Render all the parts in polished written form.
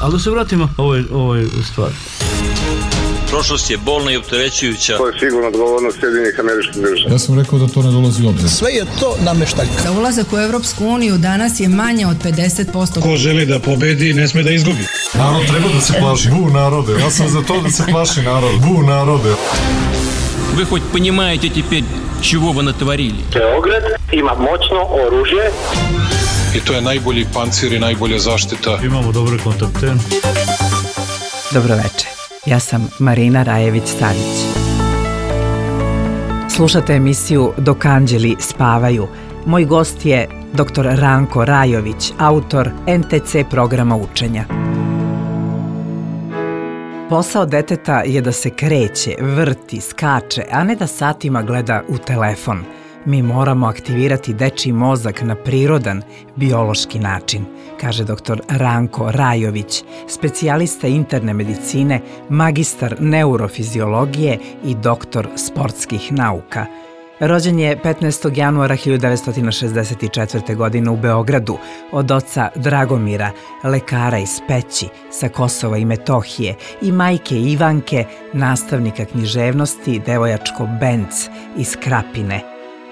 Ali da se vratimo ovoj stvari. Prošlost je bolna i opterećujuća. To je sigurno odgovornost Sjedinjenih Američkih Država. Ja sam rekao da to ne dolazi u obzir. Sve je to nameštaljka. Za ulazak u Evropsku uniju danas je manje od 50%. Ko želi da pobedi, ne sme da izgubi. Narod treba da se plaši. Bu narode. Ja sam za to da se plaši narod. Bu narode. Вы хоть понимаете теперь, чего вы натворили? Beograd ima moćno oružje. I to je najbolji pancir i najbolja zaštita. Imamo dobre kontakte. Dobro večer. Ja sam Marina Rajević-Savić. Slušate emisiju Dok anđeli spavaju. Moj gost je dr. Ranko Rajović, autor NTC programa učenja. Posao deteta je da se kreće, vrti, skače, a ne da satima gleda u telefon. Mi moramo aktivirati dečiji mozak na prirodan, biološki način, kaže dr. Ranko Rajović, specijalista interne medicine, magistar neurofiziologije i doktor sportskih nauka. Rođen je 15. januara 1964. godine u Beogradu od oca Dragomira, lekara iz Peći sa Kosova i Metohije, i majke Ivanke, nastavnika književnosti Devojačko Benc iz Krapine.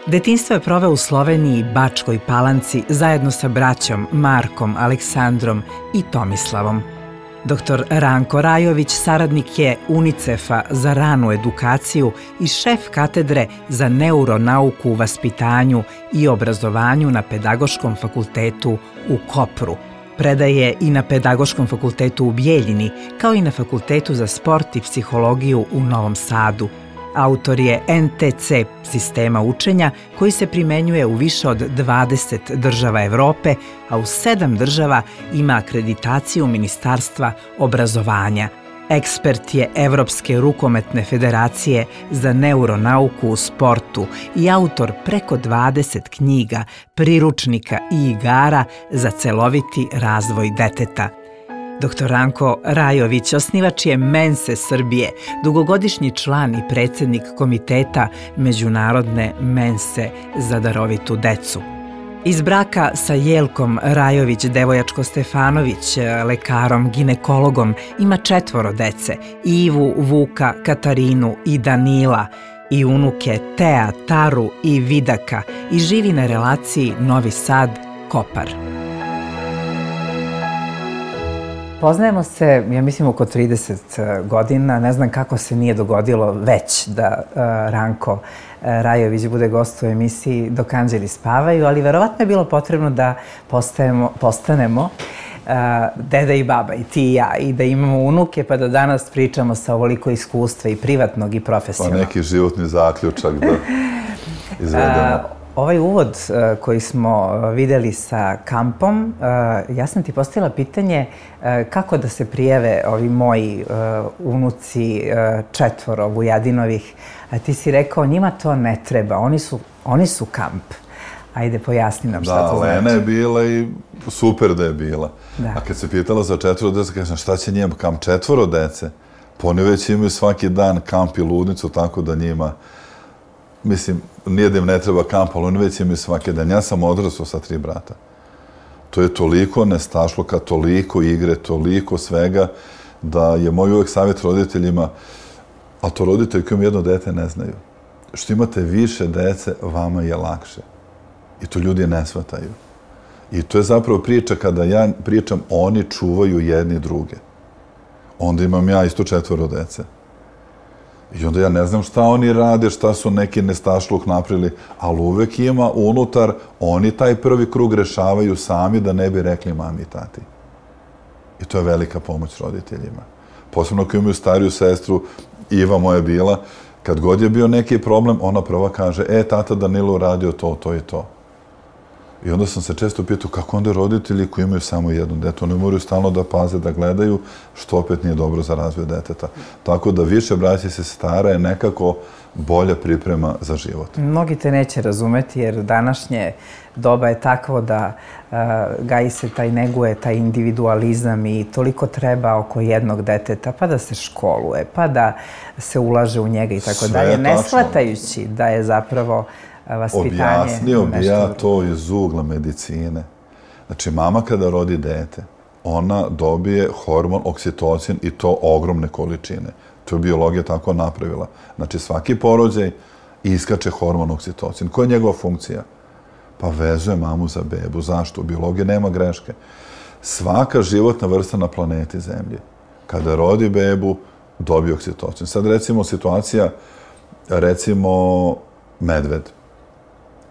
Detinjstvo je proveo u Sloveniji, Bačkoj Palanci zajedno sa braćom Markom, Aleksandrom i Tomislavom. Dr. Ranko Rajović saradnik je UNICEF-a za ranu edukaciju i šef katedre za neuronauku u vaspitanju i obrazovanju na Pedagoškom fakultetu u Kopru. Predaje i na Pedagoškom fakultetu u Bijeljini, kao i na Fakultetu za sport i psihologiju u Novom Sadu. Autor je NTC sistema učenja koji se primenjuje u više od 20 država Evrope, a u 7 država ima akreditaciju Ministarstva obrazovanja. Ekspert je Evropske rukometne federacije za neuronauku u sportu i autor preko 20 knjiga, priručnika i igara za celoviti razvoj deteta. Dr. Ranko Rajović osnivač je Mense Srbije, dugogodišnji član i predsjednik komiteta Međunarodne Mense za darovitu decu. Iz braka sa Jelkom Rajović Devojačko-Stefanović, lekarom, ginekologom, ima 4 dece, Ivu, Vuka, Katarinu i Danila, i unuke Tea, Taru i Vidaka, i živi na relaciji Novi Sad-Kopar. Poznajemo se, ja mislim, oko 30 godina. Ne znam kako se nije dogodilo već da Ranko Rajović bude gost u emisiji Dok anđeli spavaju, ali verovatno je bilo potrebno da postanemo deda i baba, i ti i ja, i da imamo unuke, pa da danas pričamo sa ovoliko iskustva i privatnog i profesionalnog. Pa neki životni zaključak da izvedemo. Ovaj uvod koji smo vidjeli sa kampom, ja sam ti postavila pitanje kako da se prijave ovi moji unuci 4 Vujadinovih. A ti si rekao, njima to ne treba, oni su kamp. Ajde, pojasni nam šta to znači. Da, Lena je bila i super da je bila. A kad se pitala za 4 dece, kažem, šta će njima kamp 4 dece? Pa oni već imaju svaki dan kamp i ludnicu, tako da njima... Mislim, nije da im ne treba kamp, ali oni već imaju svaki dan. Ja sam odrastao sa 3 brata. To je toliko nestašluka, toliko igre, toliko svega, da je moj uvek savjet roditeljima, a to roditelji koji imaju 1 dete ne znaju. Što imate više dece, vama je lakše. I to ljudi ne shvataju. I to je zapravo priča kada ja pričam, oni čuvaju jedni druge. Onda imam ja isto 4 dece. I onda ja ne znam šta oni rade, šta su neki nestašluk napravili, ali uvek ima unutar, oni taj prvi krug rešavaju sami da ne bi rekli mami i tati. I to je velika pomoć roditeljima. Posebno koji imaju stariju sestru, Iva moja bila, kad god je bio neki problem, ona prva kaže, tata Danilo uradio to, to i to. I onda sam se često pitao kako onda roditelji koji imaju samo 1 dete, oni moraju stalno da paze, da gledaju, što opet nije dobro za razvoj deteta. Tako da više braće se stara je nekako bolja priprema za život. Mnogi te neće razumeti jer današnje doba je takvo da gaji se neguje taj individualizam i toliko treba oko jednog deteta, pa da se školuje, pa da se ulaže u njega i tako dalje, ne shvatajući da je zapravo vaspitanje. Objasnio bi ja to iz ugla medicine. Znači, mama kada rodi dete, ona dobije hormon oksitocin i to ogromne količine. To je biologija tako napravila. Znači, svaki porođaj iskače hormon oksitocin. Koja je njegova funkcija? Pa vezuje mamu za bebu. Zašto? U biologiji nema greške. Svaka životna vrsta na planeti Zemlji, kada rodi bebu, dobije oksitocin. Sad recimo situacija, medved.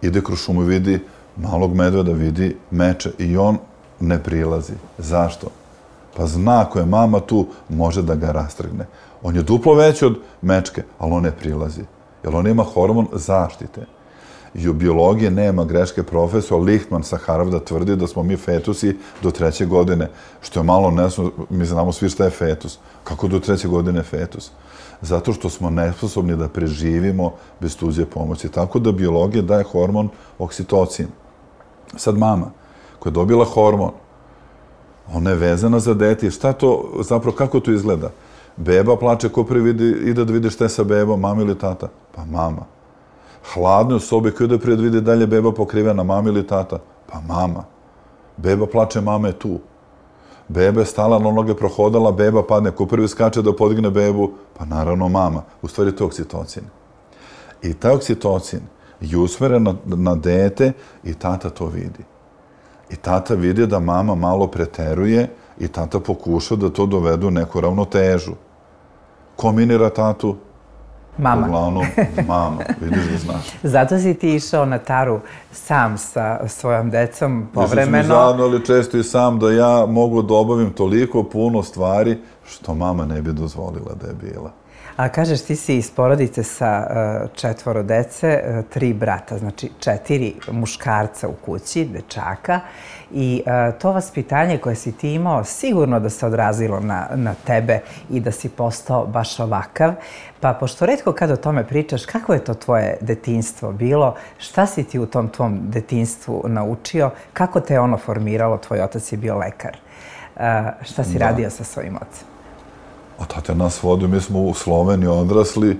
Ide kroz šumu, vidi malog medveda, vidi meče i on ne prilazi. Zašto? Pa zna ako je mama tu, može da ga rastrgne. On je duplo veći od mečke, ali on ne prilazi. Jer on ima hormon zaštite. I u biologiji nema greške. Profesor Lichtman sa Harvarda tvrdi da smo mi fetusi do 3. godine. Što je malo nesno, mi znamo svi šta je fetus. Kako do 3. godine fetus? Zato što smo nesposobni da preživimo bez tuđe pomoći. Tako da biologija daje hormon oksitocin. Sad mama, koja je dobila hormon, ona je vezana za dete. Šta to, zapravo, kako to izgleda? Beba plače, ko prvi ide da vidi šta je sa bebom, mama ili tata? Pa mama. Hladno u sobi, ko ide prije da vidi dalje beba pokrivena, mama ili tata? Pa mama. Beba plače, mama je tu. Beba je stala na noge, prohodala, beba padne, ko prvi skače da podigne bebu? Pa naravno mama. U stvari to je oksitocin. I taj oksitocin je usmeren na dete i tata to vidi. I tata vidi da mama malo preteruje i tata pokuša da to dovedu u neku ravnotežu. Ko minira tatu? Mama. Uglavnom, mama. Vidiš da znaš. Zato si ti išao na taru sam sa svojom decom povremeno. Išli smo zajedno, ali često i sam da ja mogu da obavim toliko puno stvari što mama ne bi dozvolila da je bila. A kažeš, ti si iz porodice sa 4 dece, 3 brata, znači 4 muškarca u kući, dečaka. I to vaspitanje koje si ti imao sigurno da se odrazilo na tebe i da si postao baš ovakav. Pa pošto retko kad o tome pričaš, kako je to tvoje detinjstvo bilo? Šta si ti u tom tvom detinjstvu naučio? Kako te je ono formiralo? Tvoj otac je bio lekar. Šta si radio sa svojim ocem? A tata nas vodio, mi smo u Sloveniji odrasli,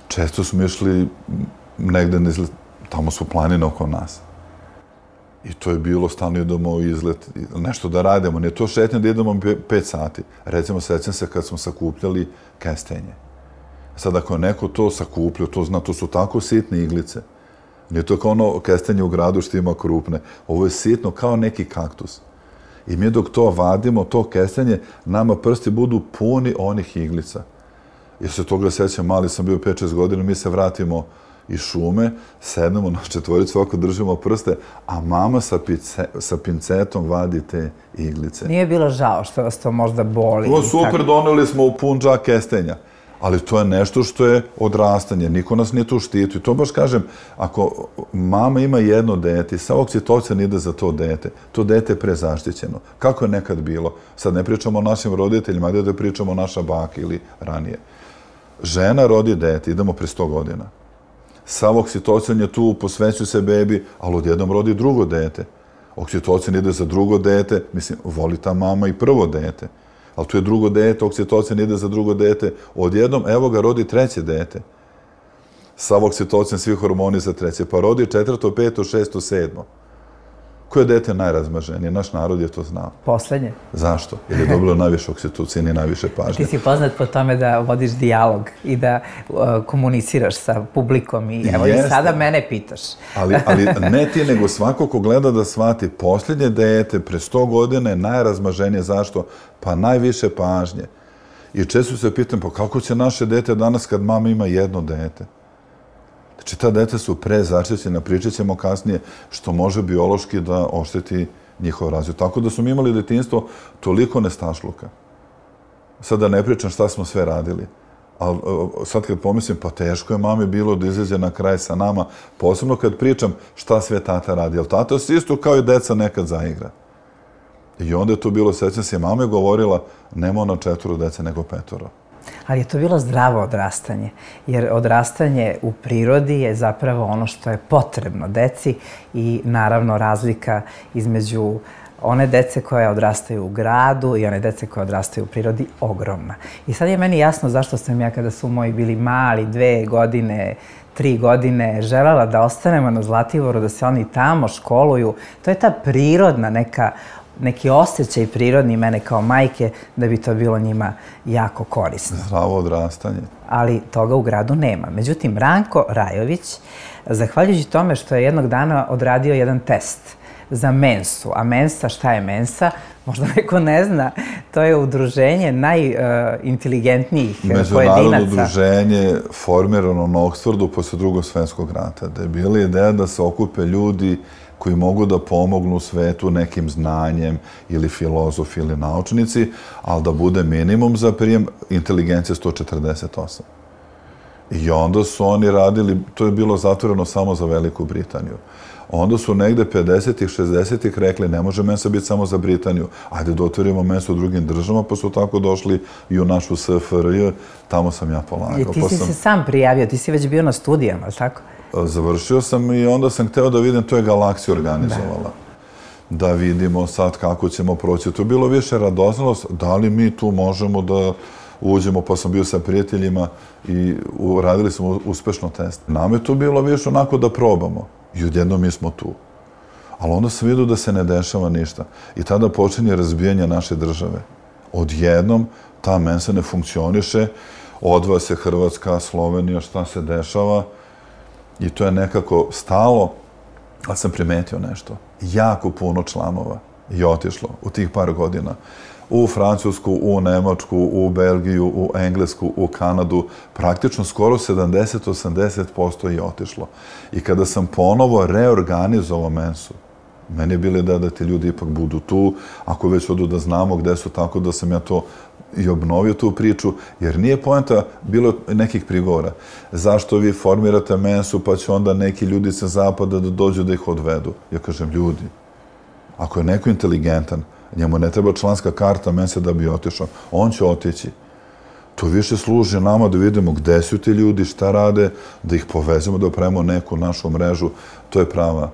često smo išli negde, tamo su planine oko nas. I to je bilo, stalno idemo u izlet, nešto da radimo. Nije to šetnje da idemo 5 sati. Recimo, sećam se kad smo sakupljali kestenje. Sad, ako je neko to sakupljao, to zna, to su tako sitne iglice. Nije to kao ono kestenje u gradu što ima krupne. Ovo je sitno kao neki kaktus. I mi dok to vadimo, to kestenje, nama prsti budu puni onih iglica. Jer se toga sećam, mali sam bio 5-6 godina, mi se vratimo iz šume, sednemo na 4, ovako držimo prste, a mama sa pincetom vadi te iglice. Nije bilo žao što vas to možda boli? To super, doneli smo u pun džak kestenja. Ali to je nešto što je odrastanje. Niko nas nije tu štitio. I to baš kažem, ako mama ima jedno dete, sav oksitocin ide za to dete je prezaštićeno. Kako je nekad bilo? Sad ne pričamo o našim roditeljima, da pričamo o naša baka ili ranije. Žena rodi dete, idemo pre 100 godina. Sav oksitocin je tu, posvećuje se bebi, ali odjednom rodi drugo dete. Oksitocin ide za drugo dete, mislim, voli ta mama i prvo dete. Ali tu je drugo dete, oksitocin ide za drugo dete, odjednom, evo ga, rodi 3. dete. Sav oksitocin, svi hormoni za 3. Pa rodi 4., 5., 6., 7. Koje dete je najrazmaženije? Naš narod je to znao. Poslednje. Zašto? Jer je dobilo najviše oksitocina i najviše pažnje. Ti si poznat po tome da vodiš dijalog i da komuniciraš sa publikom i evo i sada mene pitaš. Ali ne ti, nego svako ko gleda da shvati posljednje dete pre 100 godina je najrazmaženije. Zašto? Pa najviše pažnje. I često se pitam, pa kako će naše dete danas kad mama ima jedno dete? Znači, ta dete su prezaštićena, pričat ćemo kasnije, što može biološki da ošteti njihov razvoj. Tako da smo mi imali detinjstvo toliko nestašluka. Sad da ne pričam šta smo sve radili. Ali sad kad pomislim, pa teško je mami bilo da izađe na kraj sa nama, posebno kad pričam šta sve tata radi. Jer tata se isto kao i deca nekad zaigra. I onda je to bilo, sećam se, mama je govorila, nema ona 4 dece, nego 5. Ali je to bilo zdravo odrastanje, jer odrastanje u prirodi je zapravo ono što je potrebno deci i naravno razlika između one dece koje odrastaju u gradu i one dece koje odrastaju u prirodi ogromna. I sad je meni jasno zašto sam ja kada su moji bili mali, 2 godine, 3 godine, želela da ostanemo na Zlatiboru, da se oni tamo školuju. To je ta prirodna neka neki osjećaj prirodni mene kao majke da bi to bilo njima jako korisno. Zdravo odrastanje. Ali toga u gradu nema. Međutim, Ranko Rajović, zahvaljujući tome što je jednog dana odradio jedan test za Mensu. A Mensa, šta je Mensa? Možda neko ne zna. To je udruženje najinteligentnijih pojedinaca. Međunarodno udruženje formirano na Oxfordu posle Drugog svjetskog rata. Da je bila ideja da se okupe ljudi koji mogu da pomognu svetu nekim znanjem ili filozofi ili naučnici, ali da bude minimum za prijem inteligencije 148. I onda su oni radili, to je bilo zatvoreno samo za Veliku Britaniju. Onda su negde 50-ih, 60-ih rekli ne može Mensa biti samo za Britaniju, ajde da otvorimo Mensu u drugim državama, pa su tako došli i u našu SFRJ, tamo sam ja polagao. I ti si se sam prijavio, ti si već bio na studijama, ali tako? Završio sam i onda sam hteo da vidim, to je Galaksija organizovala. Da vidimo sad kako ćemo proći. To je bilo više radoznalost, da li mi tu možemo da uđemo, pa sam bio sa prijateljima i uradili smo uspešno test. Nam je to bilo više onako da probamo. I odjednom mi smo tu. Ali onda sam vidio da se ne dešava ništa. I tada počinje razbijanje naše države. Odjednom ta Mensa ne funkcioniše, odvaja se Hrvatska, Slovenija, šta se dešava. I to je nekako stalo, ali sam primetio nešto. Jako puno članova je otišlo u tih par godina. U Francusku, u Nemačku, u Belgiju, u Englesku, u Kanadu. Praktično skoro 70-80% je otišlo. I kada sam ponovo reorganizovao Mensu, meni je bilo da ti ljudi ipak budu tu, ako već odu da znamo gde su, tako da sam ja to i obnovio tu priču, jer nije poenta bilo nekih prigovora. Zašto vi formirate Mensu, pa će onda neki ljudi sa zapada da dođu da ih odvedu? Ja kažem, ljudi, ako je neko inteligentan, njemu ne treba članska karta Mense da bi otišao, on će otići. To više služi nama da vidimo gde su ti ljudi, šta rade, da ih povezemo, da opravimo neku našu mrežu. To je prava,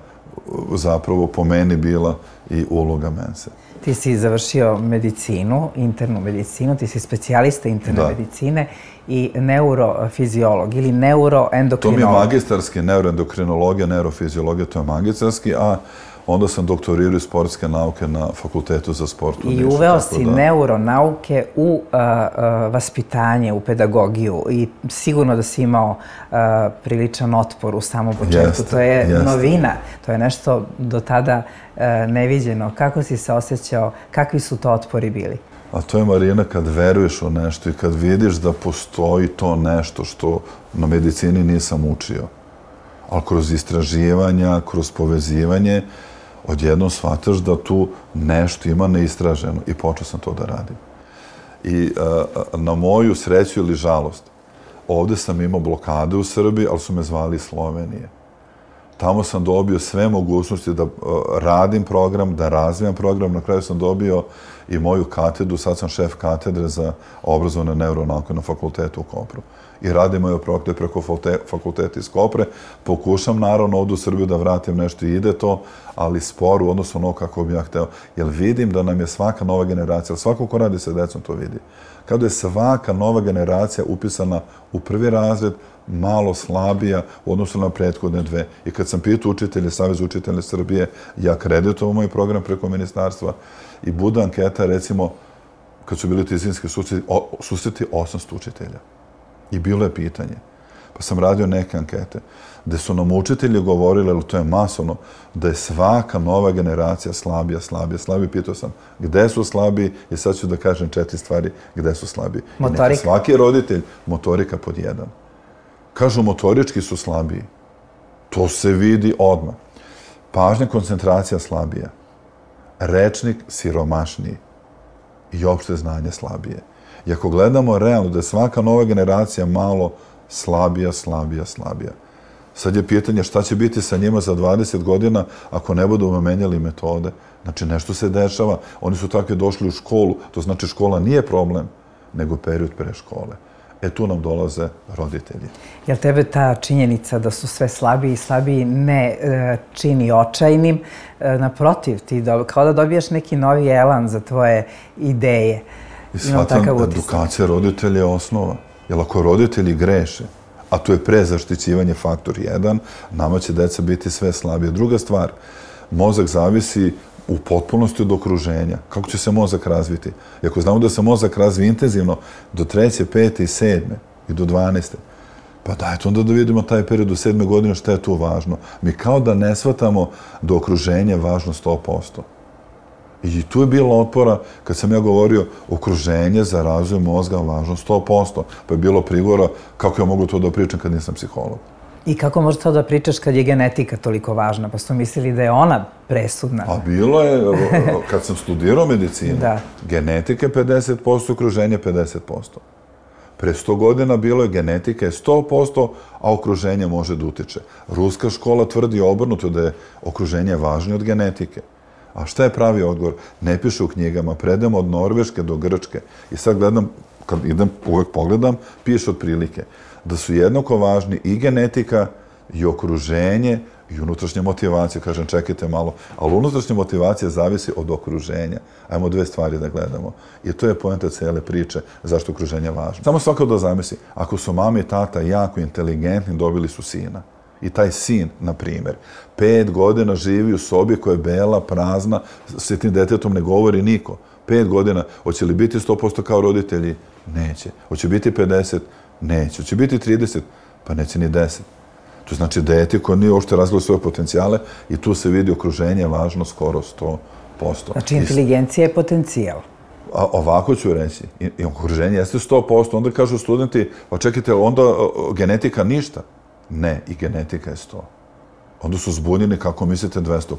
zapravo, po meni bila i uloga Mense. Ti si završio medicinu, internu medicinu, ti si specijalista interne medicine i neurofiziolog ili neuroendokrinolog. To mi je magistarski, neuroendokrinologija, neurofiziologija, to je magistarski, a onda sam doktorirao sportske nauke na Fakultetu za sport. I uveo si neuronauke u vaspitanje, u pedagogiju i sigurno da si imao priličan otpor u samom početku. To je novina, to je nešto do tada neviđeno. Kako si se osjećao, kakvi su to otpori bili? A to je, Marina, kad veruješ u nešto i kad vidiš da postoji to nešto što na medicini nisam učio. Ali kroz istraživanja, kroz povezivanje, odjednom shvataš da tu nešto ima neistraženo i počeo sam to da radim. I na moju sreću ili žalost, ovde sam imao blokade u Srbiji, ali su me zvali iz Slovenije. Tamo sam dobio sve mogućnosti da radim program, da razvijam program. Na kraju sam dobio i moju katedru, sad sam šef katedre za obrazovne neuronauke na fakultetu u Kopru. I radim moje projekte preko fakulteta iz Kopre. Pokušam naravno ovdje u Srbiju da vratim nešto i ide to, ali sporo u odnosu ono kako bi ja hteo. Jer vidim da nam je svaka nova generacija, svako ko radi sa decom to vidi. Kada je svaka nova generacija upisana u prvi razred, malo slabija u odnosu na prethodne dve. I kad sam pitao učitelje, Savez učitelja Srbije, ja kreditujem moj program preko ministarstva i bude anketa, recimo, kad su bili tizinski susreti 800 učitelja. I bilo je pitanje. Pa sam radio neke ankete, gde su nam učitelji govorili, ali to je masovno, da je svaka nova generacija slabija. Pitao sam, gde su slabiji? I sad ću da kažem 4 stvari gde su slabiji. Motorika. Svaki roditelj, motorika pod 1. Kažu, motorički su slabiji. To se vidi odmah. Pažnja, koncentracija slabija. Rečnik siromašniji. I opšte znanje slabije. I ako gledamo realno da je svaka nova generacija malo slabija. Sad je pitanje šta će biti sa njima za 20 godina ako ne budemo menjali metode. Znači, nešto se dešava. Oni su takvi došli u školu. To znači škola nije problem, nego period pre škole. Tu nam dolaze roditelji. Jel tebe ta činjenica da su sve slabiji i slabiji ne čini očajnim? Naprotiv, ti kao da dobijaš neki novi elan za tvoje ideje. I shvatam, edukacija roditelja je osnova. Jer ako roditelji greše, a to je prezaštićivanje faktor 1, nama će deca biti sve slabije. Druga stvar, mozak zavisi u potpunosti od okruženja. Kako će se mozak razviti? I ako znamo da se mozak razvije intenzivno do 3., 5. i 7. i do 12. Pa dajte onda da vidimo taj period do 7. godine šta je tu važno. Mi kao da ne shvatamo da okruženje je važno 100%. I tu je bilo otpora kad sam ja govorio okruženje za razvoj mozga važno 100%. Pa je bilo prigovora kako ja mogu to da pričam kad nisam psiholog. I kako možeš to da pričaš kad je genetika toliko važna? Pa su mislili da je ona presudna. A bilo je, kad sam studirao medicinu, genetika je 50%, okruženje 50%. Pre 100 godina bilo je genetika je 100%, a okruženje može da utiče. Ruska škola tvrdi obrnuto da je okruženje važnije od genetike. A šta je pravi odgovor? Ne piše u knjigama, predamo od Norveške do Grčke. I sad gledam, kad idem, uvek pogledam, piše otprilike da su jednako važni i genetika, i okruženje, i unutrašnja motivacija. Kažem, čekajte malo, ali unutrašnja motivacija zavisi od okruženja. Ajmo dve stvari da gledamo. I to je poenta cele priče zašto okruženje je važno. Samo svako da zamisli, ako su mama i tata jako inteligentni, dobili su sina. I taj sin, na primjer, 5 godina živi u sobi koja je bela, prazna, s tim detetom ne govori niko. 5 godina, hoće li biti 100% kao roditelji? Neće. Hoće biti 50? Neće. Hoće biti 30? Pa neće ni 10. To znači dete koje nije uopšte razvilo svoje potencijale i tu se vidi okruženje važno skoro 100%. Znači inteligencija je potencijal. A ovako ću reći, i okruženje jeste 100%, onda kažu studenti, pa čekajte, onda genetika ništa. Ne, i genetika je 100. Onda su zbunjeni, kako mislite, 200%.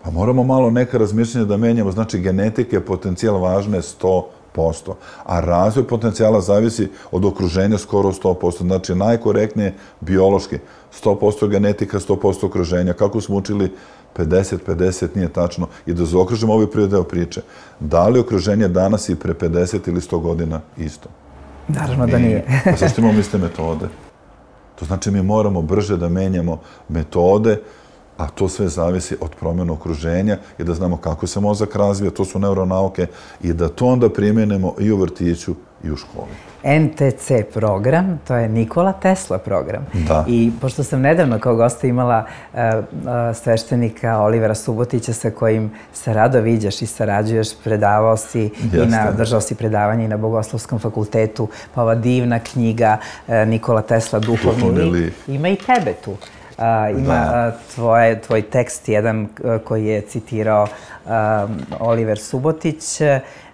Pa moramo malo neka razmišljanja da menjamo, znači genetika je potencijal važne 100%, a razvoj potencijala zavisi od okruženja skoro 100%, znači najkorektnije biološki, 100% genetika, 100% okruženja. Kako smo učili 50-50 nije tačno. I da zaokružimo ovaj prvi deo priče. Da li okruženje danas i pre 50 ili 100 godina isto? Naravno da nije. Pa zašto imamo iste metode? To znači mi moramo brže da menjamo metode, a to sve zavisi od promjena okruženja i da znamo kako se mozak razvija, to su neuronauke, i da to onda primjenimo i u vrtiću i u školi. NTC program, to je Nikola Tesla program. Da. I pošto sam nedavno kao gosta imala sveštenika Olivera Subotića sa kojim se rado viđaš i sarađuješ, predavao si i držao si predavanje i na Bogoslovskom fakultetu, pa ova divna knjiga Nikola Tesla, Duhovni lik. Ima i tebe tu. Ima tvoj tekst, jedan koji je citirao Oliver Subotić.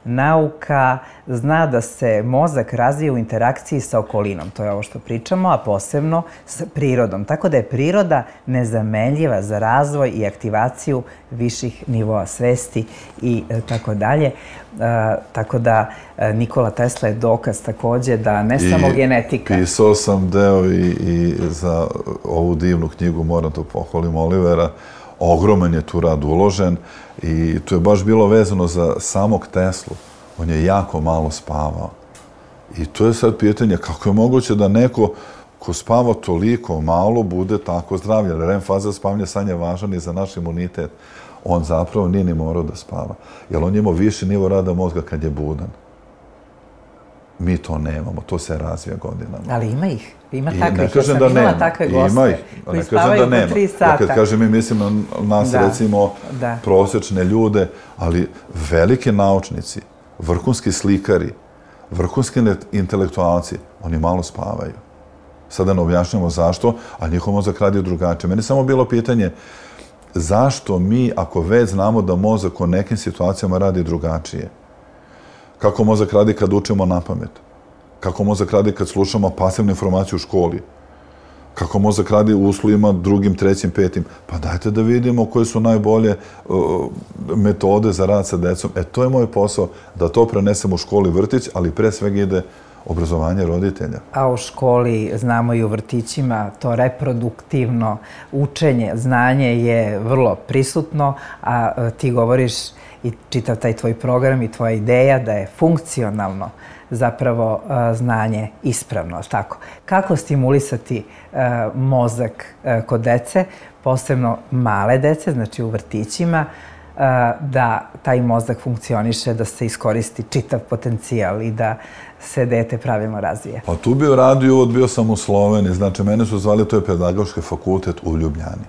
Nauka zna da se mozak razvija u interakciji sa okolinom. To je ovo što pričamo, a posebno s prirodom. Tako da je priroda nezamenljiva za razvoj i aktivaciju viših nivoa svesti i tako dalje. Tako da Nikola Tesla je dokaz takođe da ne samo genetika. Pisao sam deo i za ovu divnu knjigu, moram to pohvalim, Olivera. Ogroman je tu rad uložen i to je baš bilo vezano za samog Teslu. On je jako malo spavao. I to je sad pitanje kako je moguće da neko ko spava toliko malo bude tako zdravljen. REM faza spavanja san je važan i za naš imunitet. On zapravo nije ni morao da spava. Jer on imao viši nivo rada mozga kad je budan. Mi to nemamo, to se razvija godinama. Ali ima ih. Ima takvih, ja sam imala takve goste koji spavaju po 3 sata. Ja kad kažem, mi mislim na nas, recimo, prosječne ljude, ali velike naučnici, vrhunski slikari, vrhunski intelektualci, oni malo spavaju. Sada ne objašnjamo zašto, a njihov mozak radi drugačije. Meni je samo bilo pitanje zašto mi, ako već znamo da mozak u nekim situacijama radi drugačije, kako mozak radi kad učimo na pamet, kako mozak radi kad slušamo pasivnu informaciju u školi, kako mozak radi u uslovima 2., 3., 5. Pa dajte da vidimo koje su najbolje metode za rad sa decom. To je moj posao, da to prenesem u školi, vrtić, ali pre svega ide obrazovanje roditelja. A u školi, znamo i u vrtićima, to reproduktivno učenje, znanje je vrlo prisutno, a ti govoriš i čitav taj tvoj program i tvoja ideja da je funkcionalno zapravo znanje ispravno, tako. Kako stimulisati mozak kod dece, posebno male dece, znači u vrtićima, da taj mozak funkcioniše, da se iskoristi čitav potencijal i da se dete pravilno razvije? Pa tu bi radio uvod, bio sam u Sloveniji, znači mene su zvali, to je pedagoški fakultet u Ljubljani.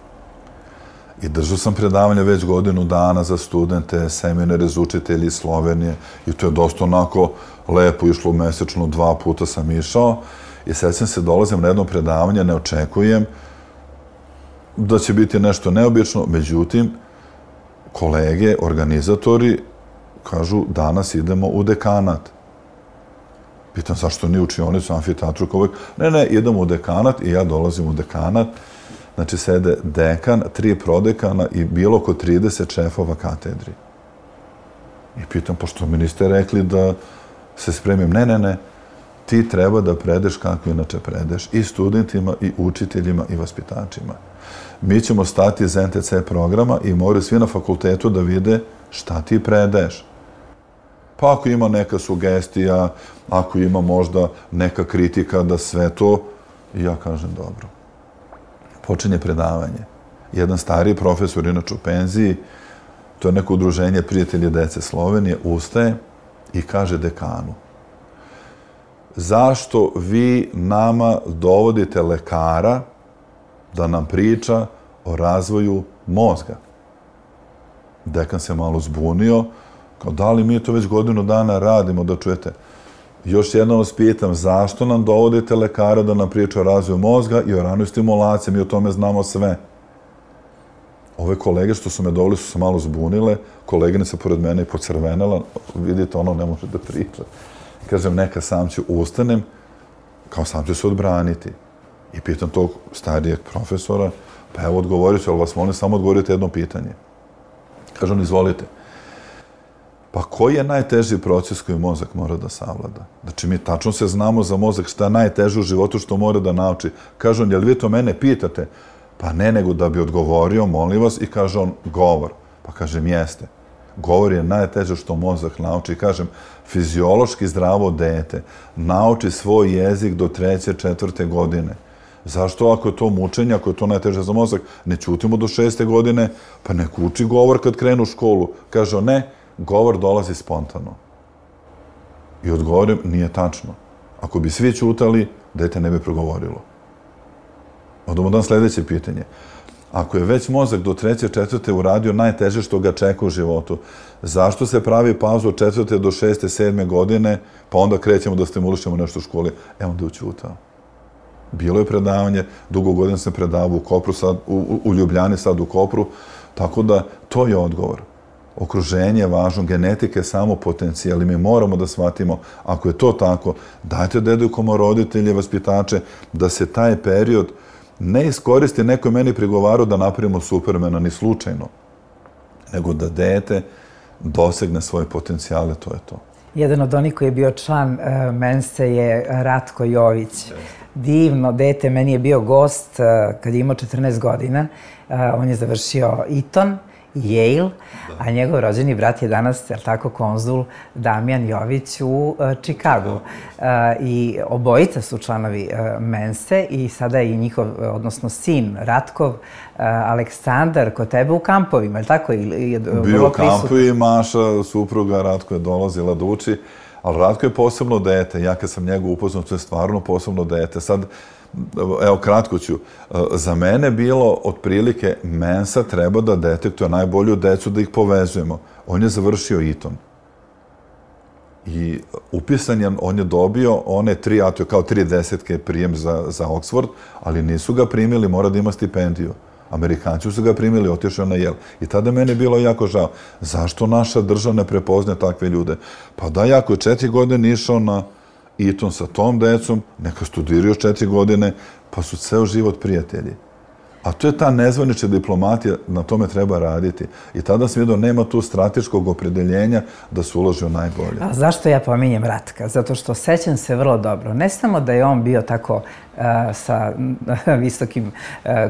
I držao sam predavanje već godinu dana za studente, seminare za učitelji iz Slovenije i to je dosta onako lepo išlo mesečno, 2 puta sam išao i sećam se, dolazim na jedno predavanje, ne očekujem da će biti nešto neobično, međutim, kolege, organizatori kažu danas idemo u dekanat. Pitam zašto nije učionicu, amfiteatru, kao uvijek. Ne, idemo u dekanat i ja dolazim u dekanat. Znači, sede dekan, 3 prodekana i bilo oko 30 šefova katedri. I pitam, pošto mi niste rekli da se spremim. Ne, ti treba da predeš kako inače predeš i studentima, i učiteljima, i vaspitačima. Mi ćemo stati iz NTC programa i moraju svi na fakultetu da vide šta ti predeš. Pa ako ima neka sugestija, ako ima možda neka kritika da sve to, ja kažem dobro. Počinje predavanje. Jedan stariji profesor, inače u penziji, to je neko udruženje Prijatelji dece Slovenije, ustaje i kaže dekanu: zašto vi nama dovodite lekara da nam priča o razvoju mozga? Dekan se malo zbunio, kao da li mi to već godinu dana radimo, da čujete. Još jednom vas pitam, zašto nam dovodite lekara da nam priča o razvoju mozga i o ranoj stimulaciji, mi o tome znamo sve. Ove kolege što su me doveli su se malo zbunile, koleginica pored mene je pocrvenela, vidite, ono ne može da priča. Kažem, neka, sam ću ustanem, kao sam ću se odbraniti. I pitam tog starijeg profesora, pa evo odgovorit ću, ali vas molim samo odgovorite jedno pitanje. Kaže on, izvolite. Pa koji je najteži proces koji mozak mora da savlada? Znači, mi tačno se znamo za mozak šta je najteže u životu što mora da nauči. Kaže on, jel vi to mene pitate? Pa ne, nego da bi odgovorio, molim vas, i kaže on, govor. Pa kažem, jeste. Govor je najteže što mozak nauči. Kažem, fiziološki zdravo dete nauči svoj jezik do 3. 4. godine. Zašto ako je to mučenje, ako je to najteže za mozak, ne ćutimo do 6. godine, pa nek uči govor kad krenu u školu? Kaže on, ne, govor dolazi spontano. I odgovorim, nije tačno. Ako bi svi ćutali, dete ne bi progovorilo. Odemo dan sljedeće pitanje. Ako je već mozak do 3. 4. uradio najteže što ga čeka u životu, zašto se pravi pauzu od 4. do 6. 7. godine, pa onda krećemo da stimulišemo nešto u školi? Onda je učutao. Bilo je predavanje, dugo godina sam predavao u Kopru, sad u Ljubljani, sad u Kopru, tako da to je odgovor. Okruženje je važno, genetika je samo potencijal i mi moramo da shvatimo, ako je to tako, dajte da edukujemo roditelje, vaspitače, da se taj period ne iskoristi, neko je meni prigovarao da napravimo Supermana, ni slučajno, nego da dete dosegne svoje potencijale, to je to. Jedan od onih koji je bio član Mense je Ratko Jović. Divno dete, meni je bio gost kad je imao 14 godina. On je završio Eton, Yale, a njegov rođeni brat je danas, jel tako, konzul Damjan Jović u Čikagu. I obojica su članovi Mense i sada je i njihov, odnosno sin Ratkov, Aleksandar, kod tebe u kampovima, je li tako? Bio u kampu i Maša, supruga Ratko je dolazila da uči, ali Ratko je posebno dete. Ja kad sam njega upoznao, to je stvarno posebno dete. Sad, evo, kratko ću. Za mene bilo otprilike Mensa treba da detektuje najbolju decu, da ih povezujemo. On je završio Eton. I upisan je, on je dobio one 3 kao 3 desetke prijem za Oxford, ali nisu ga primili, mora da ima stipendiju. Amerikanci su ga primili, otišao na Yale. I tada meni je bilo jako žao. Zašto naša država ne prepozne takve ljude? Pa da, jako je 4 godine išao na Eton sa tom decom, neka studiraju 4 godine, pa su ceo život prijatelji. A to je ta nezvanična diplomatija, na tome treba raditi. I tada sam vidio, nema tu strateškog opredeljenja da se uloži u najbolje. A zašto ja pominjem Ratka? Zato što sećam se vrlo dobro. Ne samo da je on bio tako sa visokim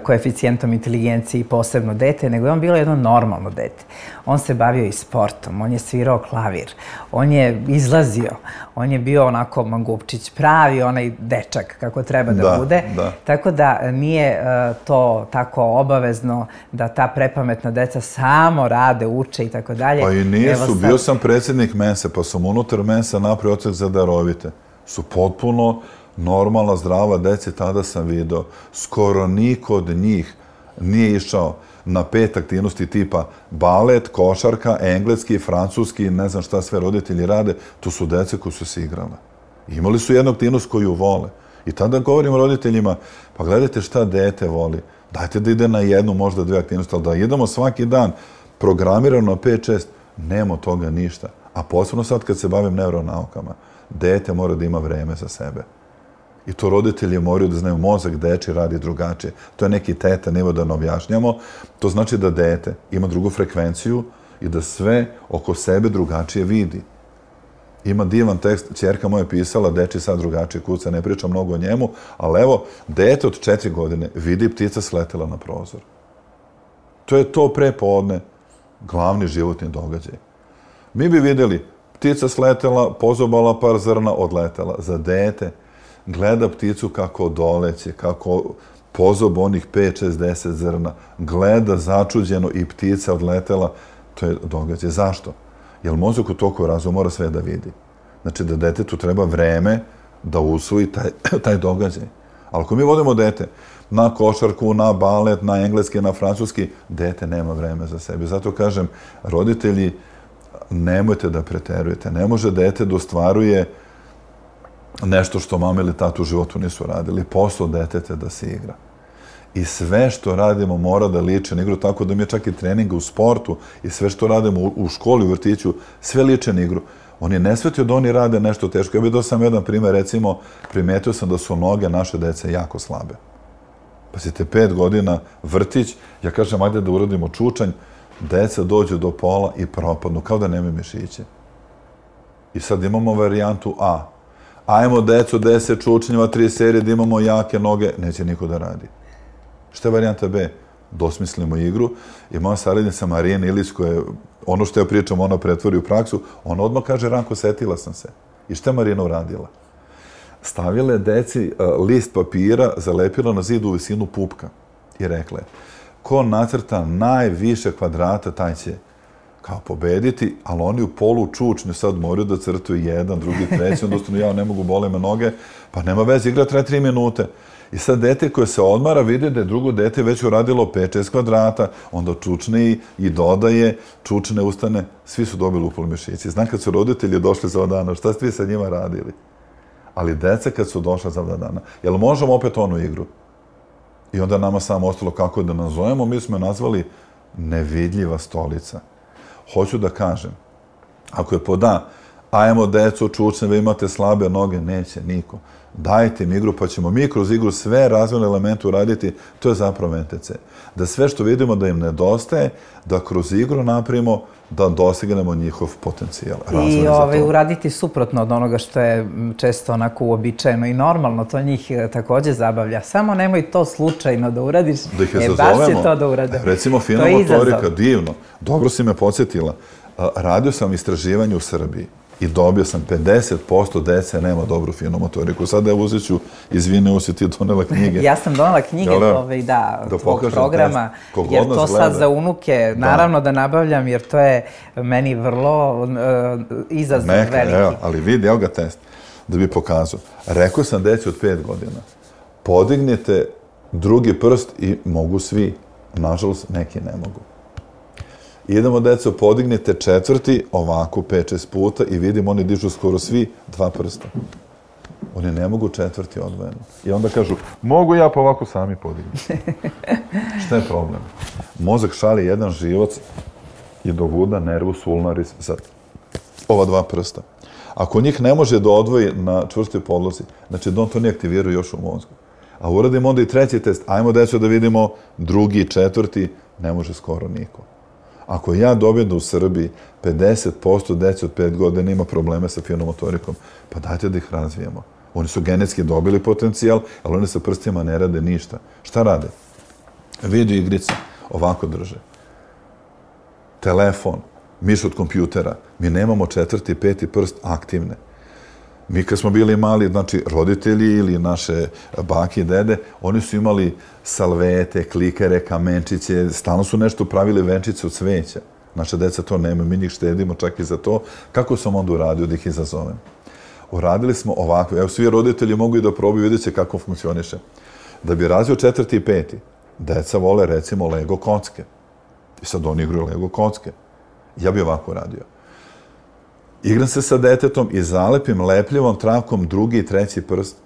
koeficijentom inteligencije i posebno dete, nego je on bilo jedno normalno dete. On se bavio i sportom, on je svirao klavir, on je izlazio, on je bio onako mangupčić, pravi onaj dečak kako treba da bude. Tako da nije to tako obavezno da ta prepametna deca samo rade, uče i tako dalje. Pa i nije su, bio sam predsjednik Mense, pa sam unutar Mensa napravio odsek za darovite. Su potpuno normalna, zdrava deca, tada sam vidio. Skoro niko od njih nije išao na 5 aktivnosti tipa balet, košarka, engleski, francuski, ne znam šta sve roditelji rade, to su dece koji su se igrale. Imali su jednu aktivnost koju vole. I tada govorimo roditeljima, pa gledajte šta dete voli. Dajte da ide na jednu, možda 2 aktivnosti, ali da idemo svaki dan programirano na 5-6, nema toga ništa. A posebno sad kad se bavim neuronaukama, dete mora da ima vreme za sebe. I to roditelji moraju da znaju, mozak deči radi drugačije. To je neki teta nivo da ne objašnjamo. To znači da dete ima drugu frekvenciju i da sve oko sebe drugačije vidi. Ima divan tekst, ćerka moja pisala, deči sad drugačije kuca, ne pričam mnogo o njemu, ali evo, dete od 4 godine vidi ptica sletela na prozor. To je to prepodne, glavni životni događaj. Mi bi vidjeli, ptica sletela, pozobala par zrna, odletela. Za dete gleda pticu kako doleće, kako pozob onih 5, 6, 10 zrna, gleda začuđeno i ptica odletela, to je događaj. Zašto? Jer mozak u toku razuma mora sve da vidi. Znači da detetu treba vreme da usvoji taj događaj. Ali ako mi vodimo dete na košarku, na balet, na engleski, na francuski, dete nema vreme za sebe. Zato kažem, roditelji, nemojte da preterujete. Ne može dete da ostvaruje nešto što mama ili tata u životu nisu radili. Posao deteta da se igra. I sve što radimo mora da liči na igru, tako da mi je čak i treninga u sportu i sve što radimo u školi, u vrtiću, sve liče na igru. On je nesvetio da oni rade nešto teško. Ja bih dao sam jedan primjer, recimo, primetio sam da su noge naše dece jako slabe. Pazite, 5 godina, vrtić, ja kažem, ajde da uradimo čučanj, deca dođu do pola i propadnu, kao da nemaju mišiće. I sad imamo varijantu A. Ajmo, deco, 10 čučnjeva, 3 serije, da imamo jake noge, neće niko da radi. Šta je varijanta B? Dosmislimo igru i moja saradnica Marijana Ilić, koja je, ono što ja pričam, ona pretvori u praksu, ona odmah kaže, Ranko, setila sam se. I šta je Marijana uradila? Stavila je deci list papira, zalepila na zidu u visinu pupka i rekla je, ko nacrta najviše kvadrata, taj će kao pobediti, ali oni u polu čučnju sad moraju da crtuju 1, 2, 3, onda ostanu, ja ne mogu, bole me noge, pa nema veze, igra traje 3 minute. I sad dete koje se odmara vidi da je drugo dete već uradilo 5-6 kvadrata, onda čučne i dodaje, čučne, ustane, svi su dobili upali mišići. Znam kad su roditelji došli za 2 dana, šta ste vi sa njima radili? Ali deca kad su došla za 2 dana, jel možemo opet onu igru? I onda nama samo ostalo kako da nazovemo, mi smo je nazvali nevidljiva stolica. Hoću da kažem, ako je pod A, ajmo deco, čučne, vi imate slabe noge, neće niko. Dajte im igru, pa ćemo mi kroz igru sve razvojne elemente uraditi, to je zapravo NTC. Da sve što vidimo da im nedostaje, da kroz igru napravimo, da dosegnemo njihov potencijal. I uraditi suprotno od onoga što je često onako uobičajeno i normalno, to njih takođe zabavlja. Samo nemoj to slučajno da uradiš, da ih je baš će to da urade. Recimo, fina motorika, divno. Dobro si me podsjetila. Radio sam istraživanje u Srbiji i dobio sam 50% dece nema dobru finu motoriku. Sada evo uzet ću, izvine, si ti donela knjige. Ja sam donela knjige tvog programa, jer to sad za unuke, naravno da nabavljam, jer to je meni vrlo izazov veliki. Ali vidi, evo ga test, da bi pokazao. Rekao sam deci od 5 godina, podignite drugi prst i mogu svi. Nažalost, neki ne mogu. Idemo, deco, podignite 4. ovako 5-6 puta i vidimo, oni dižu skoro svi 2 prsta. Oni ne mogu 4. odvojeno. I onda kažu, mogu ja pa ovako sami podignuti. Šta je problem? Mozak šalje jedan živac i dovuda nervus ulnaris za ova 2 prsta. Ako njih ne može da odvoji na čvrstoj podlozi, znači da on to ne aktivira još u mozgu. A uradimo onda i 3. test. Ajmo, deco, da vidimo 2., 4. ne može skoro niko. Ako ja dobijem da u Srbiji 50% dece od 5 godina ima probleme sa finom motorikom, pa dajte da ih razvijemo. Oni su genetski dobili potencijal, ali oni sa prstima ne rade ništa. Šta rade? Video igrice, ovako drže. Telefon, miš od kompjutera. Mi nemamo 4. i 5. prst aktivne. Mi kad smo bili mali, znači roditelji ili naše bake i dede, oni su imali salvete, klikere, kamenčiće, stalno su nešto pravili venčice od cveća. Naša deca to nema, mi njih štedimo čak i za to. Kako sam onda uradio da ih izazovem? Uradili smo ovako, evo svi roditelji mogu i da probaju, vidjet će kako funkcioniše. Da bi razvio 4. i 5. deca vole recimo Lego kocke. I sad oni igraju Lego kocke. Ja bi ovako radio. Igram se sa detetom i zalepim lepljivom trakom drugi i treći prst.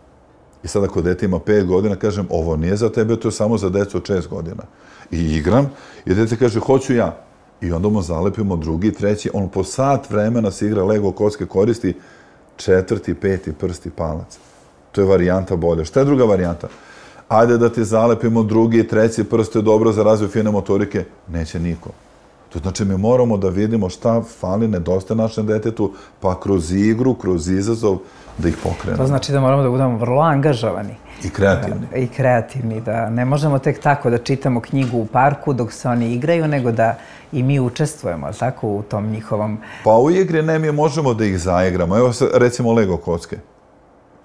I sad ako dete ima 5 godina, kažem, ovo nije za tebe, to je samo za decu od 6 godina. I igram, i dete kaže, hoću ja. I onda mu zalepimo drugi i treći, on po sat vremena se igra Lego kocke, koristi 4., 5. prst i palac. To je varijanta bolja. Šta je druga varijanta? Ajde da ti zalepimo drugi i treći prst, to je dobro za razvoj fine motorike. Neće niko. To znači mi moramo da vidimo šta fali, nedostaje našem detetu, pa kroz igru, kroz izazov, da ih pokrenemo. To znači da moramo da budemo vrlo angažovani. I kreativni. I kreativni, da ne možemo tek tako da čitamo knjigu u parku dok se oni igraju, nego da i mi učestvujemo, tako, u tom njihovom... Pa u igri ne, mi možemo da ih zaigramo. Evo recimo Lego kocke.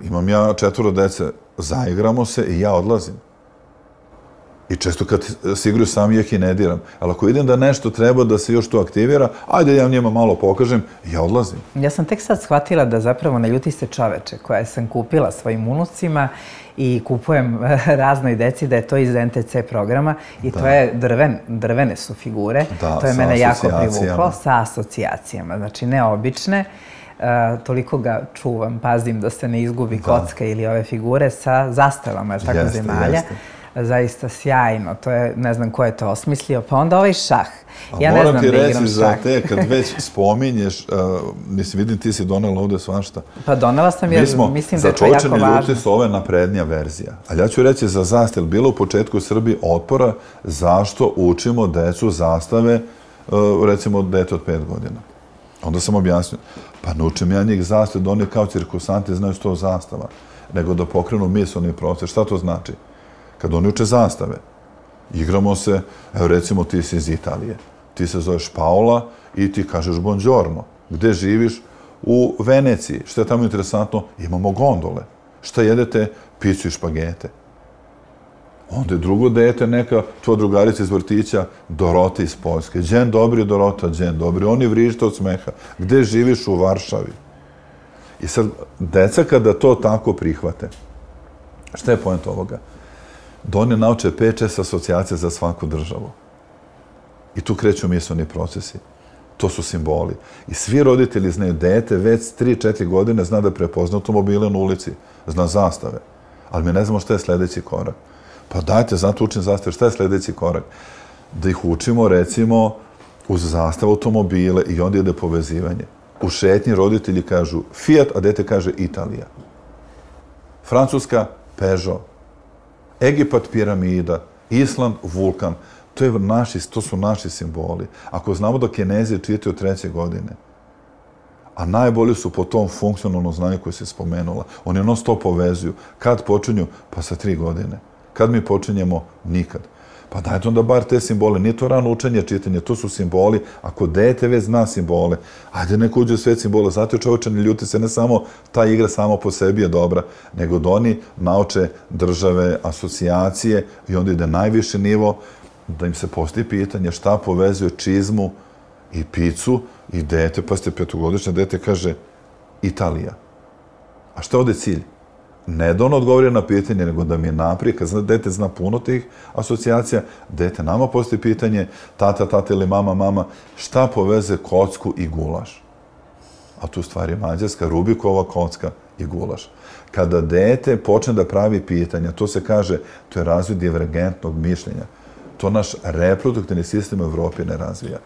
Imam ja 4 dece, zaigramo se i ja odlazim. I često kad se igraju sam ja ih i ne diram. Ali ako vidim da nešto treba da se još to aktivira, ajde ja njima malo pokažem i ja odlazim. Ja sam tek sad shvatila da zapravo ne ljuti se čoveče koje sam kupila svojim unucima i kupujem raznoj deci, da je to iz NTC programa i to je drvene su figure. To je mene jako privuklo sa asocijacijama. Znači neobične, toliko ga čuvam, pazim da se ne izgubi kocka ili ove figure sa zastavama, tako, zemalja. Zaista sjajno, to je, ne znam ko je to osmislio, pa onda ovaj šah. Ja ne znam da igram šah. Moram ti reći za te, kad već spominješ, mislim, vidim ti si donela ovde svašta. Pa donela sam jer mislim da je to jako važno. Za ljuti su ove naprednija verzija. Ali ja ću reći za zastave, bilo u početku u Srbiji otpora zašto učimo decu zastave, recimo dete od 5 godina. Onda sam objasnio, pa ne učim ja njih zastave da oni kao cirkusanti znaju 100 zastava, nego da pokrenu misleni proces. Šta to znači? Kad oni uče zastave, igramo se, evo recimo ti si iz Italije, ti se zoveš Paola i ti kažeš buongiorno. Gde živiš? U Veneciji. Šta je tamo interesantno? Imamo gondole. Šta jedete? Picu i špagete. Onda je drugo dete, neka tvoja drugarica iz vrtića, Dorota iz Poljske. Đen dobri, Dorota, đen dobri. Oni vrište od smeha. Gde živiš? U Varšavi. I sad, deca kada to tako prihvate, šta je point ovoga? Da oni nauče 5-6 asocijacija za svaku državu. I tu kreću misleni procesi. To su simboli. I svi roditelji znaju, dete već 3-4 godine zna da prepozna automobile na ulici, zna zastave. Ali mi ne znamo šta je sledeći korak. Pa dajte, zato učim zastave, šta je sledeći korak? Da ih učimo, recimo, uz zastavu automobile i onda ide povezivanje. U šetnji roditelji kažu Fiat, a dete kaže Italija. Francuska, Peugeot. Egipat, piramida, Island, vulkan. To su naši simboli. Ako znamo da Kinezi čitaju od 3. godine, a najbolji su po tom funkcionalnom znanju koje se spomenula, oni non stop povezuju. Kad počinju? Pa sa 3 godine. Kad mi počinjemo? Nikad. Pa dajte onda bar te simbole. Nije to rano učenje, čitanje, to su simboli. Ako dete već zna simbole, ajde neko uđe u svet simbola. Zato je čovječe, ne ljuti se, ne samo ta igra samo po sebi je dobra, nego da oni nauče države, asocijacije i onda ide najviši nivo, da im se postoji pitanje šta povezuje čizmu i picu i dete, pa ste 5-godišnje dete kaže Italija. A šta je ovde cilj? Ne da on odgovori na pitanje, nego da mi je naprijed, kad dete zna puno tih asocijacija, dete nama postoji pitanje, tata ili mama, šta poveze kocku i gulaš? A tu stvari je mađarska, Rubikova kocka i gulaš. Kada dete počne da pravi pitanja, to se kaže, to je razvoj divergentnog mišljenja. To naš reproduktivni sistem u Evropi ne razvija.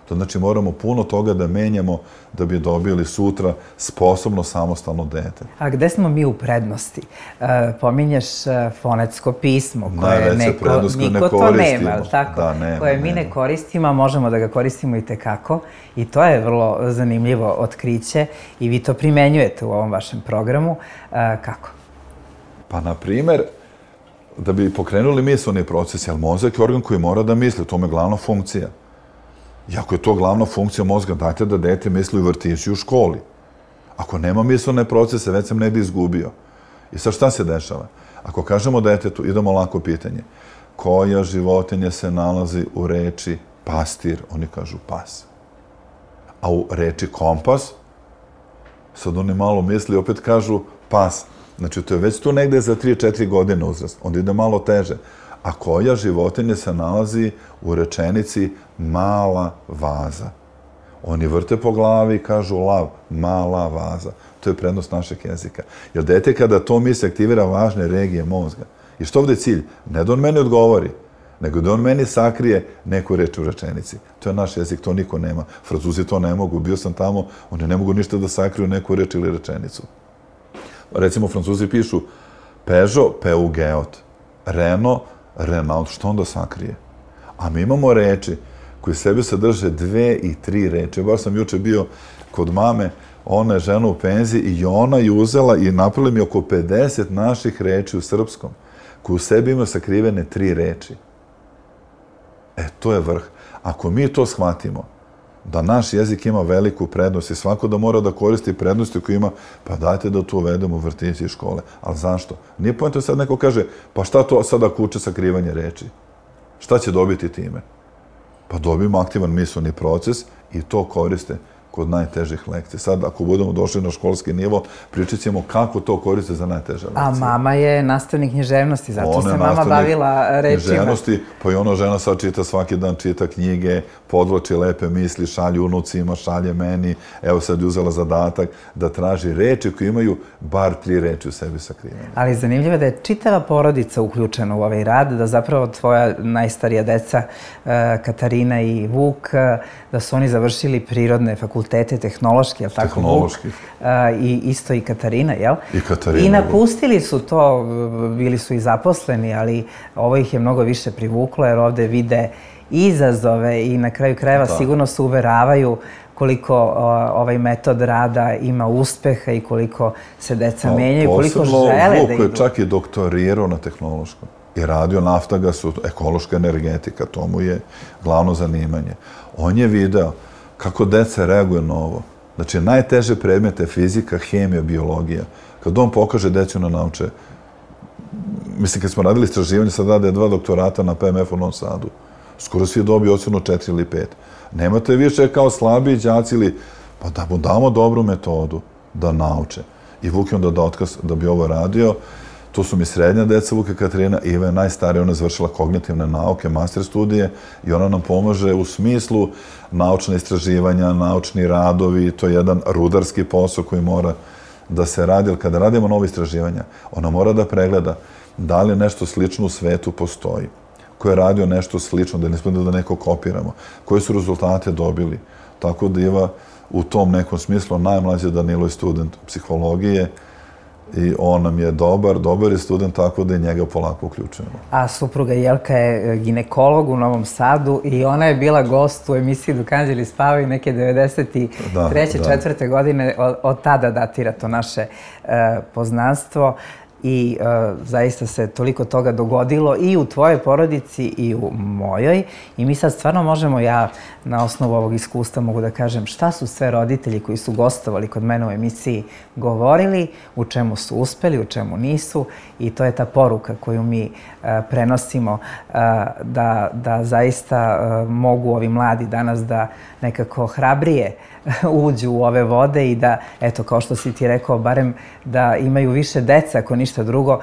To znači moramo puno toga da menjamo da bi dobili sutra sposobno samostalno dete. A gde smo mi u prednosti? Pominješ fonetsko pismo koje niko to nema, tako? Koje mi ne koristimo, a možemo da ga koristimo i tekako. I to je vrlo zanimljivo otkriće i vi to primenjujete u ovom vašem programu. Kako? Pa, na primer, da bi pokrenuli misleni proces, jer mozak je organ koji mora da misli, to je glavna funkcija. I ako je to glavna funkcija mozga, dajte da dete misli u vrtiću i u školi. Ako nema mislene procese, već sam ne bi izgubio. I sad šta se dešava? Ako kažemo detetu, idemo lako pitanje. Koja životinja se nalazi u reči pastir? Oni kažu pas. A u reči kompas, sad oni malo misli, opet kažu pas. Znači, to je već tu negde za 3-4 godine uzrast. Onda ide malo teže. A koja životinja se nalazi u rečenici mala vaza? Oni vrte po glavi i kažu lav, mala vaza. To je prednost našeg jezika. Jer dete kada to misli aktivira važne regije mozga. I što ovdje je cilj? Ne da on meni odgovori, nego da on meni sakrije neku reč u rečenici. To je naš jezik, to niko nema. Francuzi to ne mogu, bio sam tamo, oni ne mogu ništa da sakriju neku reč ili rečenicu. Recimo, Francuzi pišu Peugeot, Peugeot, Renault, Renault, što onda sakrije? A mi imamo reči koji sebi sadrže 2 i 3 reči. Baš sam juče bio kod mame, ona je žena u penziji i ona je uzela i napravila mi oko 50 naših reči u srpskom, koji u sebi ima sakrivene 3 reči. To je vrh. Ako mi to shvatimo, da naš jezik ima veliku prednost i svako da mora da koristi prednosti koje ima, pa dajte da to uvedemo u vrtići i škole. Ali zašto? Nije poenta sad neko kaže, pa šta to sad ako uče sakrivanje reči? Šta će dobiti time? Pa dobijemo aktivan misleni proces i to koriste kod najtežih lekcija. Sad, ako budemo došli na školski nivo, pričat ćemo kako to koriste za najteže lekcije. A mama je nastavnik književnosti, zato se mama bavila rečima. Književnosti, pa i ona žena sad čita svaki dan, čita knjige, podvlači lepe misli, šalje unucima, šalje meni. Evo sad je uzela zadatak da traži reči koje imaju bar 3 reči u sebi sakrivene. Ali zanimljivo je da je čitava porodica uključena u ovaj rad, da zapravo tvoja najstarija deca, Katarina i Vuk, da su oni završili prirodne fakultete, tehnološki, jel tako? Tehnološki. I isto i Katarina, jel? I Katarina. I napustili su to, bili su i zaposleni, ali ovo ih je mnogo više privuklo, jer ovde vide izazove i na kraju krajeva sigurno se uveravaju koliko ovaj metod rada ima uspeha i koliko se deca menjaju, koliko žele da idu. Vuk je čak i doktorirao na tehnološkom i radio naftagasu, ekološka energetika, to mu je glavno zanimanje. On je video kako deca reaguju na ovo. Znači, najteže predmete fizika, hemija, biologija. Kad on pokaže decu na nauče, mislim, kad smo radili istraživanje, sad rade 2 doktorata na PMF u Novom Sadu, skoro svi dobiju ocenu 4 ili 5. Nemate više kao slabiji đaci ili, pa da mu damo dobru metodu da nauče. I Vuk je onda da otkaz da bi ovo radio. To su mi srednja deca, Vuka Katarina, Iva je najstarija, ona je završila kognitivne nauke, master studije i ona nam pomaže u smislu naučne istraživanja, naučni radovi, to je jedan rudarski posao koji mora da se radi, ali kada radimo novo istraživanja, ona mora da pregleda da li nešto slično u svetu postoji, ko je radio nešto slično, da ne smemo da neko kopiramo, koje su rezultate dobili. Tako da Iva u tom nekom smislu, najmlađi Danilo je student psihologije, i on nam je dobar je student, tako da je njega polako uključujemo. A supruga Jelka je ginekolog u Novom Sadu i ona je bila gost u emisiji Dok anđeli spavaju neke 93. 4. godine. Od tada datira to naše poznanstvo i zaista se toliko toga dogodilo i u tvojoj porodici i u mojoj. I mi sad stvarno možemo, ja na osnovu ovog iskustva mogu da kažem šta su sve roditelji koji su gostovali kod mene u emisiji govorili, u čemu su uspeli, u čemu nisu. I to je ta poruka koju mi prenosimo da zaista mogu ovi mladi danas da nekako hrabrije uđu u ove vode i da, eto, kao što si ti rekao, barem da imaju više dece, ako ništa drugo,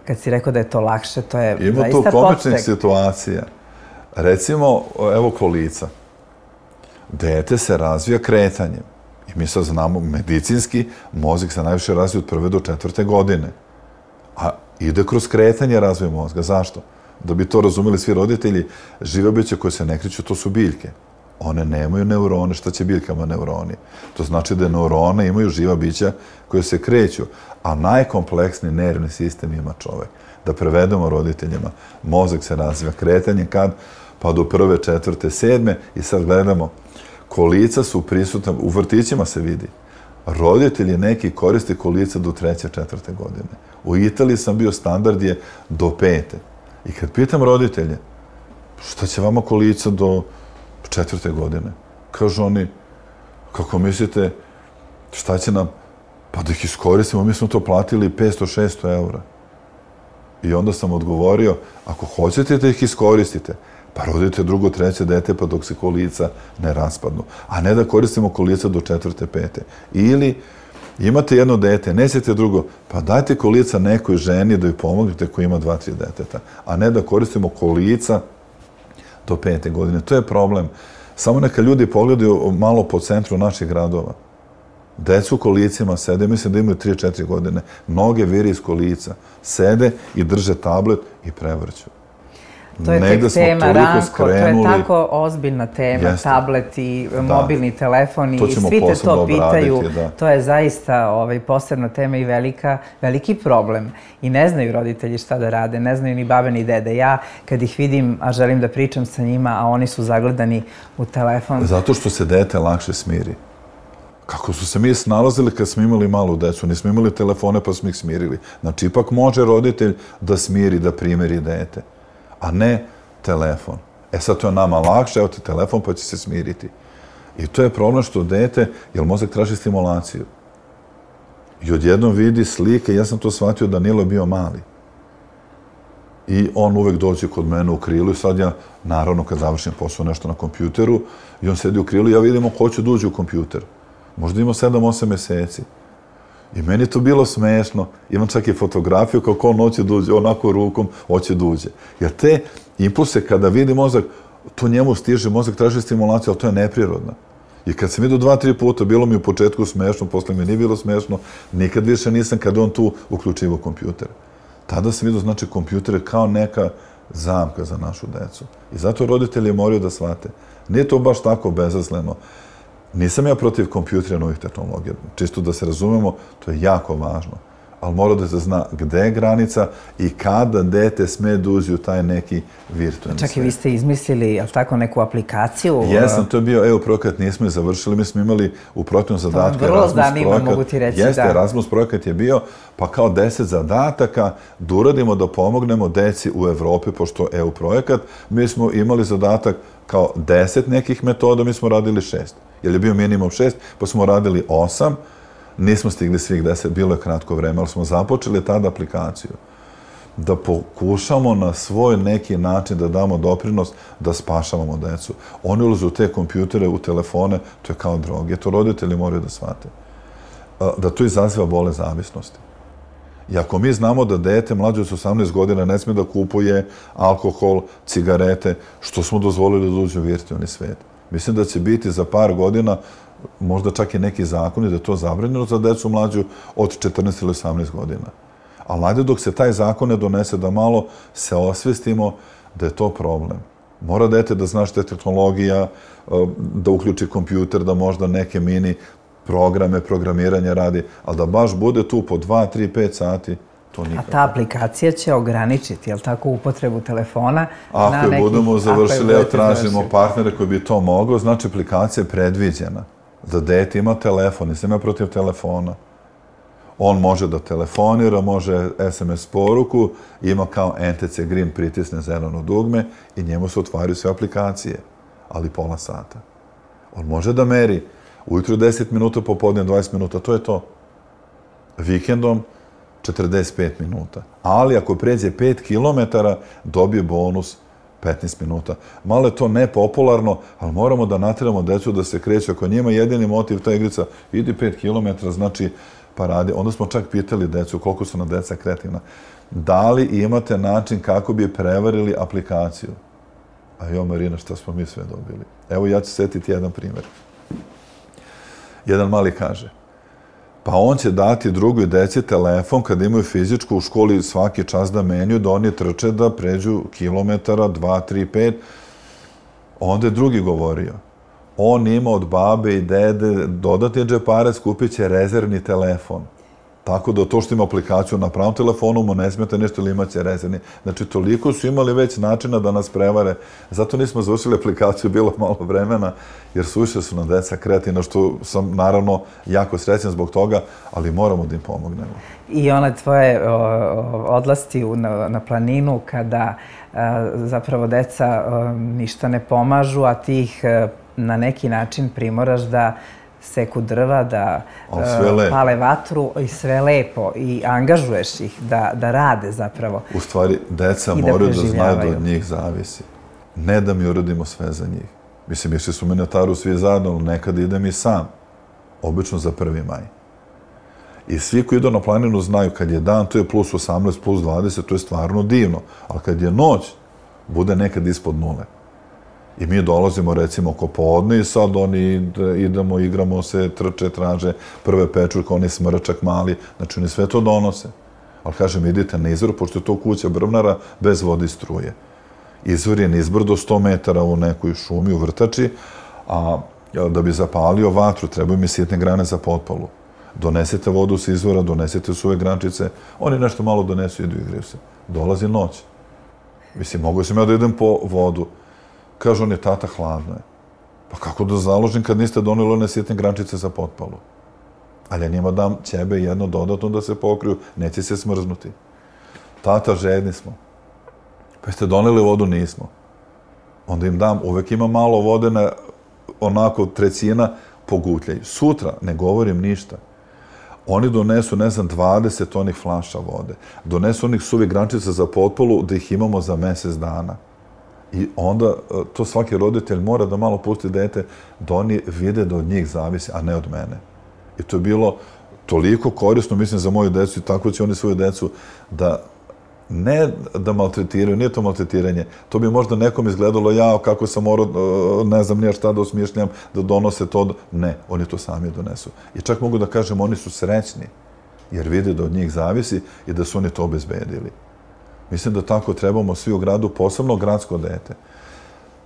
kad si rekao da je to lakše, to je zaista podstek. Ima tu komičnih situacija. Recimo, evo kolica. Dete se razvija kretanjem. I mi sad znamo, medicinski, mozak se najviše razvija od 1. do 4. godine. A ide kroz kretanje razvoja mozga. Zašto? Da bi to razumeli svi roditelji, žive biće koje se ne kreću, to su biljke. One nemaju neurone, šta će biljkama neuroni? To znači da neurone imaju živa bića koje se kreću, a najkompleksniji nervni sistem ima čovek. Da prevedemo roditeljima, mozak se razvija kretanjem kad? Pa do 1., 4., 7. i sad gledamo, kolica su prisutna, u vrtićima se vidi. Roditelji neki koriste kolica do 3., 4. godine. U Italiji sam bio, standard je do 5. I kad pitam roditelje, šta će vama kolica do 4. godine? Kažu oni, kako mislite, šta će nam? Pa da ih iskoristimo, mi smo to platili 500-600 eura. I onda sam odgovorio, ako hoćete da ih iskoristite, pa rodite 2., 3. dete pa dok se kolica ne raspadnu. A ne da koristimo kolica do 4., 5. Ili Imate jedno dete, nećete drugo, pa dajte kolica nekoj ženi da joj pomognete koji ima 2-3 deteta, a ne da koristimo kolica do 5. godine. To je problem. Samo neka ljudi pogledaju malo po centru naših gradova. Decu u kolicima sede, mislim da imaju 3-4 godine. Noge viri iz kolica. Sede i drže tablet i prevrću. To je tek tema, Ranko, to je tako ozbiljna tema, tablet i mobilni telefon i svi te to pitaju. To je zaista posebna tema i veliki problem. I ne znaju roditelji šta da rade, ne znaju ni babe ni dede. Ja kad ih vidim, a želim da pričam sa njima, a oni su zagledani u telefon. Zato što se dete lakše smiri. Kako su se mi snalazili kad smo imali malu decu, nismo imali telefone pa smo ih smirili. Znači, ipak može roditelj da smiri, da primeri dete, a ne telefon. Sad to je nama lakše, evo ti telefon pa će se smiriti. I to je problem što dete, jer mozak traži stimulaciju. I odjednom vidi slike, ja sam to shvatio, Danilo je bio mali. I on uvek dođe kod mene u krilu i sad ja, naravno, kad završim posao nešto na kompjuteru, i on sedi u krilu i ja vidimo ko će da uđe u kompjuter. Možda ima 7-8 meseci. I meni je to bilo smešno. Imam čak i fotografiju kako on hoće da uđe, onako rukom hoće da uđe. Jer te impulse kada vidi mozak, to njemu stiže, mozak traži stimulaciju, ali to je neprirodno. I kad sam vidio 2-3 puta, bilo mi u početku smešno, posle mi nije bilo smešno, nikad više nisam kad on tu uključivo kompjuter. Tada sam vidio, znači, kompjuter je kao neka zamka za našu decu. I zato roditelji moraju da shvate. Nije to baš tako bezazleno. Nisam ja protiv kompjutera, novih tehnologija. Čisto da se razumemo, to je jako važno. Ali mora da se zna gde je granica i kada dete sme da uđe u taj neki virtualni svet. Čak i vi ste izmislili, jel tako, neku aplikaciju? Jesam, to je bio EU projekat, nismo je završili, mi smo imali u projektnom zadatku Erasmus projekat. Vrlo zanima, mogu ti reći, da. Jeste, Erasmus projekat je bio, pa kao 10 zadataka da uradimo da pomognemo deci u Evropi, pošto EU projekat, mi smo imali zadatak kao 10 nekih metoda, mi smo radili 6. Jer je bio minimum 6, pa smo radili 8, nismo stigli svih 10, bilo je kratko vreme, ali smo započeli tada aplikaciju. Da pokušamo na svoj neki način da damo doprinos da spašavamo decu. Oni ulaze u te kompjutere, u telefone, to je kao droge. To roditelji moraju da shvate. Da to izaziva bolest zavisnosti. I ako mi znamo da dete mlađe od 18 godina ne sme da kupuje alkohol, cigarete, što smo dozvolili da uđe u virtualni svet? Mislim da će biti za par godina možda čak i neki zakoni da je to zabranjeno za decu mlađu od 14 ili 18 godina. Ali najde dok se taj zakon ne donese da malo se osvestimo da je to problem. Mora dete da zna što je tehnologija, da uključi kompjuter, da možda neke mini programe, programiranje radi, ali da baš bude tu po 2, 3, 5 sati, to nikako. A ta aplikacija će ograničiti, jel tako, upotrebu telefona? Ako je budemo završili, evo tražimo partnere koji bi to moglo, znači aplikacija je predviđena da dete ima telefon, nisam ja protiv telefona. On može da telefonira, može SMS poruku, ima kao NTC Green, pritisne zeleno dugme i njemu se otvaraju sve aplikacije, ali pola sata. On može da meri ujutru 10 minuta, popodne 20 minuta, to je to. Vikendom 45 minuta. Ali ako pređe 5 kilometara, dobije bonus 15 minuta. Malo je to nepopularno, ali moramo da nateramo decu da se kreću. Ako njima jedini motiv ta igrica, idi 5 kilometara, znači pa radi. Onda smo čak pitali decu koliko su na deca kreativna. Da li imate način kako bi prevarili aplikaciju? A jo, Marina, šta smo mi sve dobili? Evo, ja ću setiti jedan primjer. Jedan mali kaže, pa on će dati drugoj deci telefon kad imaju fizičku u školi svaki čas da menju, da oni trče da pređu kilometara, 2, 3, 5. Onda je drugi govorio, on ima od babe i dede dodatni džeparac, kupit će rezervni telefon. Tako da to što ima aplikaciju na pravom telefonu mu ne smete nešto ili imaće rezervni. Znači, toliko su imali već načina da nas prevare. Zato nismo završili aplikaciju, bilo malo vremena, jer suviše su nam deca kreativna, što sam naravno jako srećan zbog toga, ali moramo da im pomognemo. I one tvoje odlasti na planinu kada zapravo deca ništa ne pomažu, a ti ih na neki način primoraš da seku drva, da pale vatru i sve lepo i angažuješ ih da rade zapravo. U stvari, deca moraju da znaju da od njih zavisi. Ne da mi uradimo sve za njih. Mislim, išli su mi na taru svi zajedno, ali nekad idem i sam. Obično za 1. maj. I svi koji idu na planinu znaju, kad je dan, to je plus 18, plus 20, to je stvarno divno. Ali kad je noć, bude nekad ispod nule. I mi dolazimo, recimo, oko podne i sad oni idemo, igramo se, trče, traže prve pečurke, oni smrčak mali, znači oni sve to donose. Ali kažem, idite na izvor, pošto je to kuća brvnara bez vode i struje. Izvor je nizbrdo do 100 metara u nekoj šumi, u vrtači, a da bi zapalio vatru, trebaju mi sitne grane za potpalu. Donesete vodu s izvora, donesete suve grančice, oni nešto malo donesu i idu igraju se. Dolazi noć. Mislim, mogu sam ja da idem po vodu. Kaže on je, tata, hladno je. Pa kako da založim kad niste doneli one sitne grančice za potpalu? Ali ja njima dam ćebe jedno dodatno da se pokriju, neće se smrznuti. Tata, žedni smo. Pa ste doneli vodu? Nismo. Onda im dam, uvek ima malo vode na onako trećina, pogutljaju. Sutra ne govorim ništa. Oni donesu, ne znam, 20 onih flaša vode. Donesu onih suvih grančica za potpalu da ih imamo za mjesec dana. I onda to svaki roditelj mora da malo pusti dete da oni vide da od njih zavisi, a ne od mene. I to je bilo toliko korisno, mislim, za moju decu i tako će oni svoju decu da ne da maltretiraju, nije to maltretiranje. To bi možda nekom izgledalo, ja kako sam morao, ne znam nije šta da osmišljam, da donose to. Ne, oni to sami donesu. I čak mogu da kažem, oni su srećni, jer vide da od njih zavisi i da su oni to obezbedili. Mislim da tako trebamo svi u gradu, posebno gradsko dete.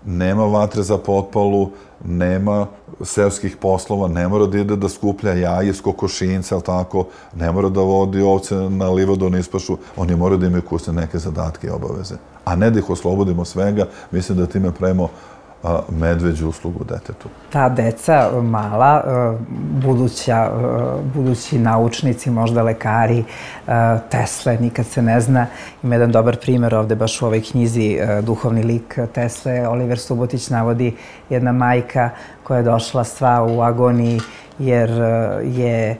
Nema vatre za potpalu, nema seoskih poslova, ne mora da ide da skuplja jaje iz kokošinca, ali tako, ne mora da vodi ovce na livadu, na ispašu, oni moraju da imaju kućne neke zadatke i obaveze. A ne da ih oslobodimo svega, mislim da time pravimo medveđu uslugu detetu. Ta deca mala, budući naučnici, možda lekari, Tesle, nikad se ne zna. Ima jedan dobar primjer ovde, baš u ovoj knjizi Duhovni lik Tesle. Oliver Subotić navodi jedna majka koja je došla sva u agoniji jer je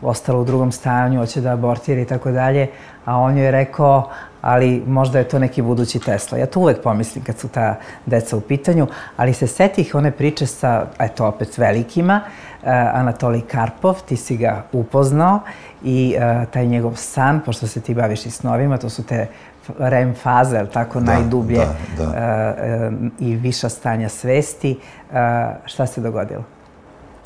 ostala u drugom stanju, hoće da abortira i tako dalje, a on joj je rekao, ali možda je to neki budući Tesla. Ja to uvek pomislim kad su ta deca u pitanju, ali se setih one priče sa, eto opet velikima, Anatolij Karpov, ti si ga upoznao i taj njegov san, pošto se ti baviš i snovima, to su te REM faze, tako najdublje i viša stanja svesti. Šta se dogodilo?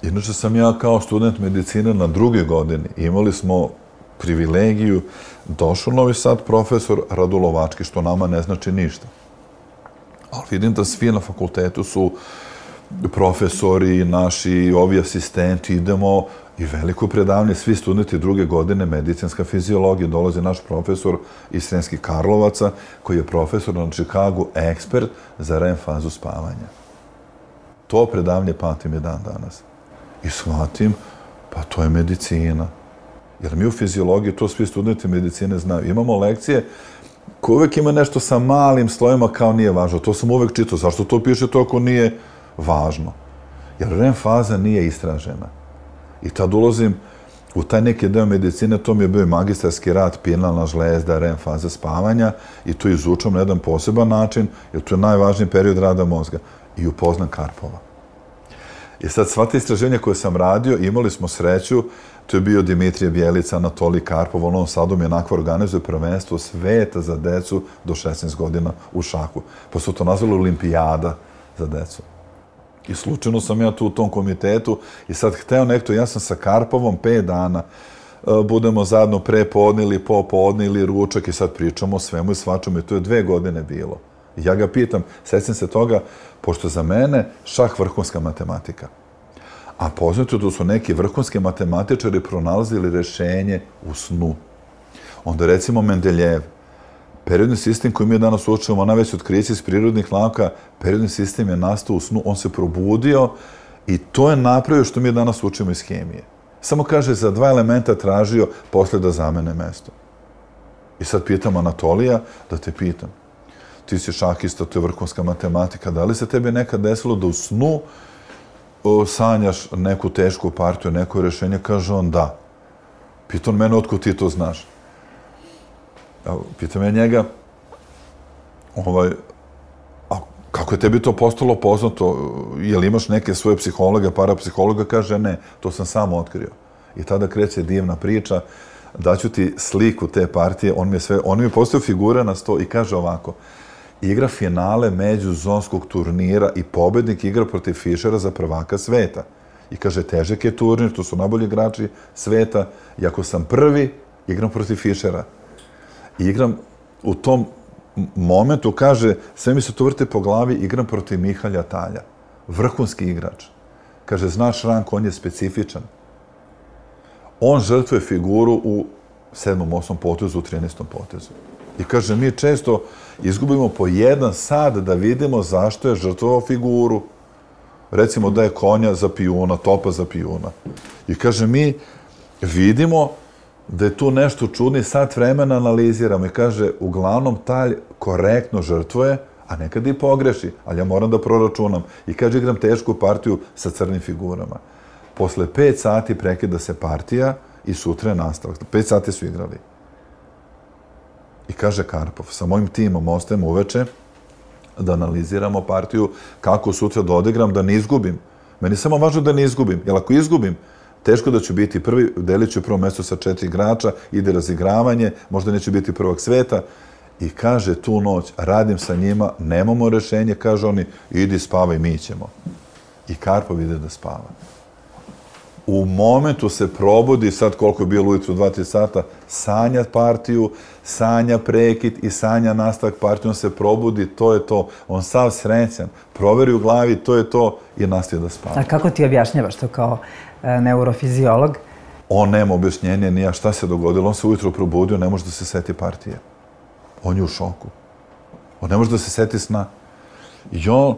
Inače sam ja kao student medicine na 2. godini. Imali smo privilegiju, došao Novi Sad profesor Radulovački, što nama ne znači ništa. Ali vidim da svi na fakultetu su profesori, naši, ovi asistenti, idemo i veliko predavanje, svi studenti 2. godine medicinska fiziologija, dolazi naš profesor iz Sremskih Karlovaca, koji je profesor na Čikagu, ekspert za REM fazu spavanja. To predavanje pamtim je dan danas. I shvatim, pa to je medicina. Jer mi u fiziologiji, to svi studenti medicine znaju. Imamo lekcije koje uvek ima nešto sa malim slojima kao nije važno. To sam uvek čitao. Zašto to piše to ako nije važno? Jer REM faza nije istražena. I tad ulazim u taj neki deo medicine, to mi je bio magistarski rad, pinalna žlezda, REM faza spavanja i to izučam na jedan poseban način, jer to je najvažniji period rada mozga. I upoznam Karpova. I sad sva te istraženja koje sam radio, imali smo sreću, to je bio Dimitrije Bjelica, Anatolij Karpov, u Novom Sadu mi onako organizuje prvenstvo sveta za decu do 16 godina u šahu. Pa su to nazvali olimpijada za decu. I slučajno sam ja tu u tom komitetu i sad hteo nekto, ja sam sa Karpovom 5 dana, budemo zajedno prepodne ili popodne ili ručak i sad pričamo o svemu i svačemu i to je 2 godine bilo. I ja ga pitam, sećam se toga, pošto za mene šah vrhunska matematika. A poznato da su neki vrhunski matematičari pronalazili rešenje u snu. Onda recimo Mendeljev, periodni sistem koji mi danas učimo, najveće otkriće iz prirodnih nauka, periodni sistem je nastao u snu, on se probudio i to je napravio što mi danas učimo iz hemije. Samo kaže, za 2 elementa tražio posle da zamene mesto. I sad pitam Anatolija, da te pitam, ti si šahista, to je vrhunska matematika, da li se tebi nekad desilo da u snu sanjaš neku tešku partiju, neko rešenje? Kaže on, da. Pitam mene, otko ti to znaš? Pitam ja njega, a kako je tebi to postalo poznato? Jel imaš neke svoje psihologe, parapsihologa? Kaže, ne, to sam sam otkrio. I tada kreće divna priča, daću ti sliku te partije, on mi je postavio figure na sto i kaže ovako, igra finale međuzonskog turnira i pobednik igra protiv Fischera za prvaka sveta. I kaže, težak je turnir, to su najbolji igrači sveta, i ako sam prvi, igram protiv Fischera. I igram u tom momentu, kaže, sve mi se to vrte po glavi, igram protiv Mihalja Talja. Vrhunski igrač. Kaže, znaš Ranko, on je specifičan. On žrtvuje figuru u 7., 8. potezu, u 13. potezu. I kaže, mi često izgubimo po 1 sat da vidimo zašto je žrtvovao figuru. Recimo da je konja za pijuna, topa za pijuna. I kaže, mi vidimo da je tu nešto čudno i sat vremena analiziramo. I kaže, uglavnom Talj korektno žrtvuje, a nekad i pogreši, ali ja moram da proračunam. I kaže, igram tešku partiju sa crnim figurama. Posle 5 sati prekida se partija i sutra je nastavak. 5 sati su igrali. I kaže Karpov, sa mojim timom ostajem uveče da analiziramo partiju, kako sutra da odigram, da ne izgubim. Meni je samo važno da ne izgubim, jer ako izgubim, teško da ću biti prvi, delit ću prvo mesto sa 4 igrača, ide razigravanje, možda neću biti prvak sveta. I kaže, tu noć radim sa njima, nemamo rešenje, kaže oni, idi spavaj, mi ćemo. I Karpov ide da spava. U momentu se probudi, sad koliko je bilo ujutru, 2-3 sata, sanja partiju, sanja prekid i sanja nastavak partiju, on se probudi, to je to. On sav srećan, proveri u glavi, to je to i nastavi da spava. A kako ti objašnjavaš to kao neurofiziolog? On nema objašnjenja, nija šta se dogodilo, on se ujutru probudio, ne može da se seti partije. On je u šoku. On ne može da se seti sna. I on,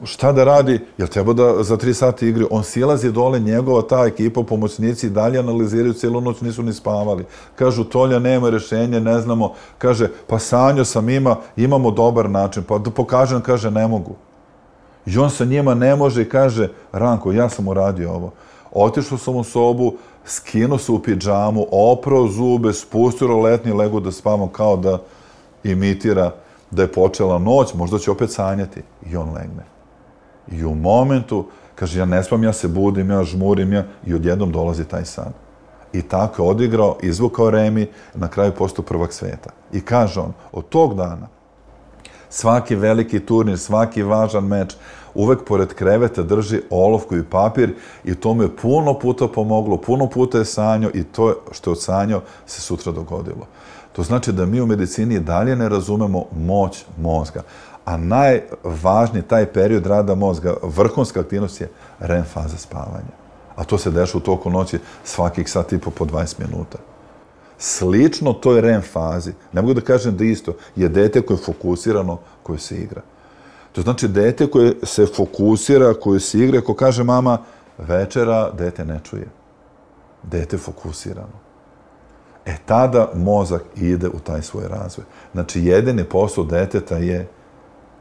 šta da radi? Jer treba da za 3 sata igri. On silazi dole, njegova ta ekipa, pomoćnici, dalje analiziraju, cijelu noć nisu ni spavali. Kažu, Tolja, nema rešenja, ne znamo. Kaže, pa sanjao sam, imamo dobar način. Pa da pokažem, kaže, ne mogu. I on sa njima ne može i kaže, Ranko, ja sam uradio ovo. Otišao sam u sobu, skinuo se u pidžamu, oprao zube, spustio roletni, lego da spavam kao da imitira da je počela noć, možda će opet sanjati. I on legne. I u momentu, kaže, ja ne spam, ja se budim, ja žmurim, i odjednom dolazi taj san. I tako je odigrao, izvukao remi, na kraju postao prvak sveta. I kaže on, od tog dana, svaki veliki turnir, svaki važan meč, uvek pored kreveta drži olovku i papir i to mu je puno puta pomoglo, puno puta je sanjao i to što je odsanjao se sutra dogodilo. To znači da mi u medicini dalje ne razumemo moć mozga. A najvažniji taj period rada mozga, vrhunska aktivnost je REM faza spavanja. A to se dešava u toku noći svakih sat i po 20 minuta. Slično toj REM fazi, ne mogu da kažem da isto, je dete koje je fokusirano, koje se igra. To znači dete koje se fokusira, koje se igra, ako kaže mama večera, dete ne čuje. Dete fokusirano. Tada mozak ide u taj svoj razvoj. Znači, jedini posao deteta je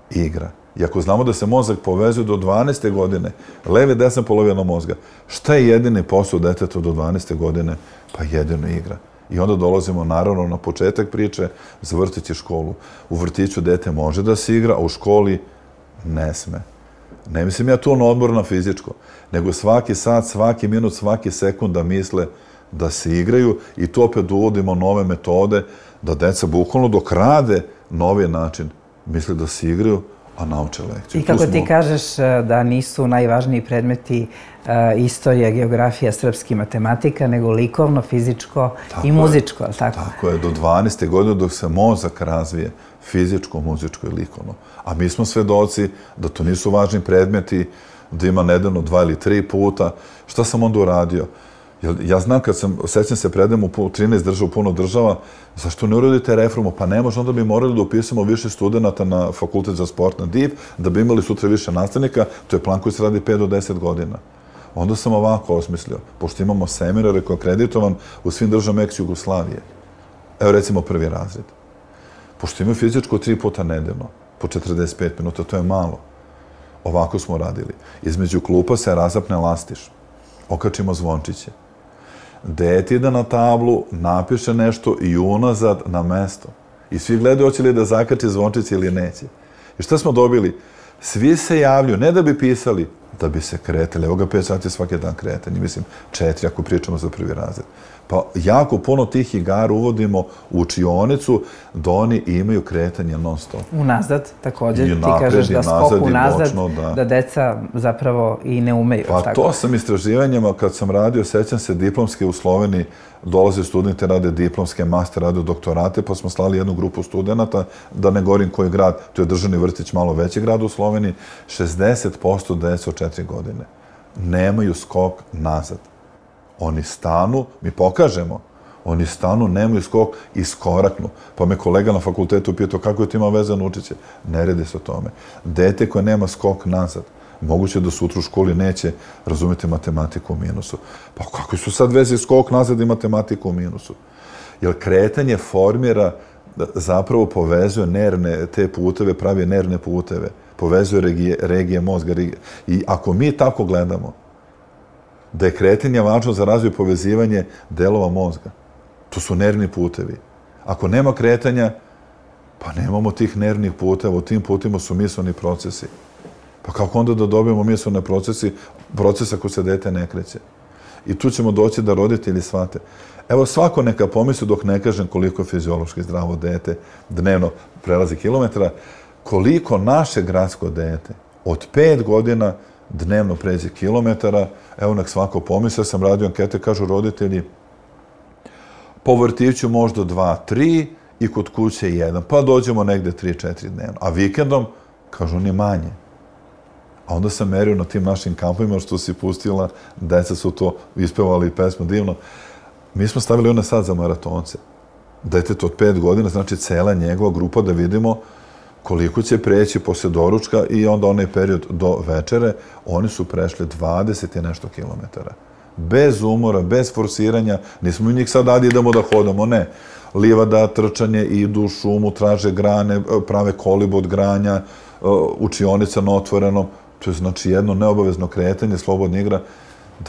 igra. I ako znamo da se mozak povezuje do 12. godine, leve, desna polovina mozga, šta je jedini posao deteta do 12. godine? Pa jedino igra. I onda dolazimo, naravno, na početak priče za vrtić i školu. U vrtiću dete može da se igra, a u školi ne sme. Ne mislim ja tu na odmor na fizičko, nego svaki sat, svaki minut, svaki sekund da misle da se igraju i tu opet uvodimo nove metode, da deca bukvalno dok rade novi način misle da se igraju, a nauče lekciju. I kako ti kažeš da nisu najvažniji predmeti istorija, geografija, srpski, matematika, nego likovno, fizičko i muzičko, ali tako? Tako je, do 12. godine dok se mozak razvije, fizičko, muzičko i likovno. A mi smo svedoci da to nisu važni predmeti, da ima nedeljno 2 ili 3 puta. Šta sam onda uradio? Ja znam kad sećam se predajem u 13 država, puno država, zašto ne uradite reformu? Pa ne može, onda bi morali da upisamo više studenta na fakultet za sport na DIV, da bi imali sutra više nastavnika, to je plan koji se radi 5 do 10 godina. Onda sam ovako osmislio, pošto imamo seminar koji je akreditovan u svim državama ex-Jugoslavije. Evo recimo 1. razred. Pošto imaju fizičko 3 puta nedeljno, po 45 minuta, to je malo. Ovako smo radili. Između klupa se razapne lastiš, okačimo zvončiće. Dete ide na tablu, napiše nešto i unazad na mesto. I svi gledaju hoće li da zakači zvončiće ili neće. I šta smo dobili? Svi se javljaju, ne da bi pisali, da bi se kretali. Evo ga 5 sati svaki dan kretanje, mislim 4 ako pričamo za prvi razred. Pa jako puno tih igara uvodimo u učionicu da oni imaju kretanje non stop. Unazad također, ti kažeš da skok unazad, da deca zapravo i ne umeju. Pa to sam istraživanjima, kad sam radio, sećam se diplomske u Sloveniji, dolaze studenti, rade diplomske, master, rade doktorate, pa smo slali jednu grupu studenta, da ne govorim koji grad, to je državni vrtić, malo veći grad u Sloveniji, 60% dece od 4 godine nemaju skok nazad. Oni stanu, mi pokažemo, oni stanu, nemaju skok i skoraknu. Pa me kolega na fakultetu pitao kako je to ima veze na učiće. Ne redi se o tome. Dete koje nema skok nazad, moguće da sutra u školi neće razumjeti matematiku u minusu. Pa kako su sad veze skok nazad i matematiku u minusu? Jer kretanje formira, zapravo povezuje nervne te puteve, pravi nervne puteve, povezuje regije mozga. I ako mi tako gledamo, da je kretanje važno za razvoj povezivanje delova mozga. To su nervni putevi. Ako nema kretanja, pa nemamo tih nervnih puteva, u tim putima su misleni procesi. Pa kako onda da dobijemo mislene procesa ako se dete ne kreće? I tu ćemo doći da roditelji shvate. Evo svako neka pomisli, dok ne kažem koliko je fiziološki zdravo dete dnevno prelazi kilometra, koliko naše gradsko dete od 5 godina dnevno pređe kilometara, evo nek svako pomisli, sam radio ankete, kažu roditelji, po vrtiću možda 2, 3 i kod kuće 1, pa dođemo negde 3, 4 dnevno. A vikendom, kažu, ni manje. A onda sam merio na tim našim kampovima što si pustila, deca su to ispevali pesmu divno. Mi smo stavili one sad za maratonce. Detete od 5 godina, znači cela njegova grupa, da vidimo koliko će preći posle doručka i onda onaj period do večere, oni su prešli 20 i nešto kilometara. Bez umora, bez forsiranja, nismo mi njih sad dali idemo da hodamo, ne. Livada, trčanje, idu u šumu, traže grane, prave kolibu od granja, učionica na otvorenom. To je znači jedno neobavezno kretanje, slobodna igra,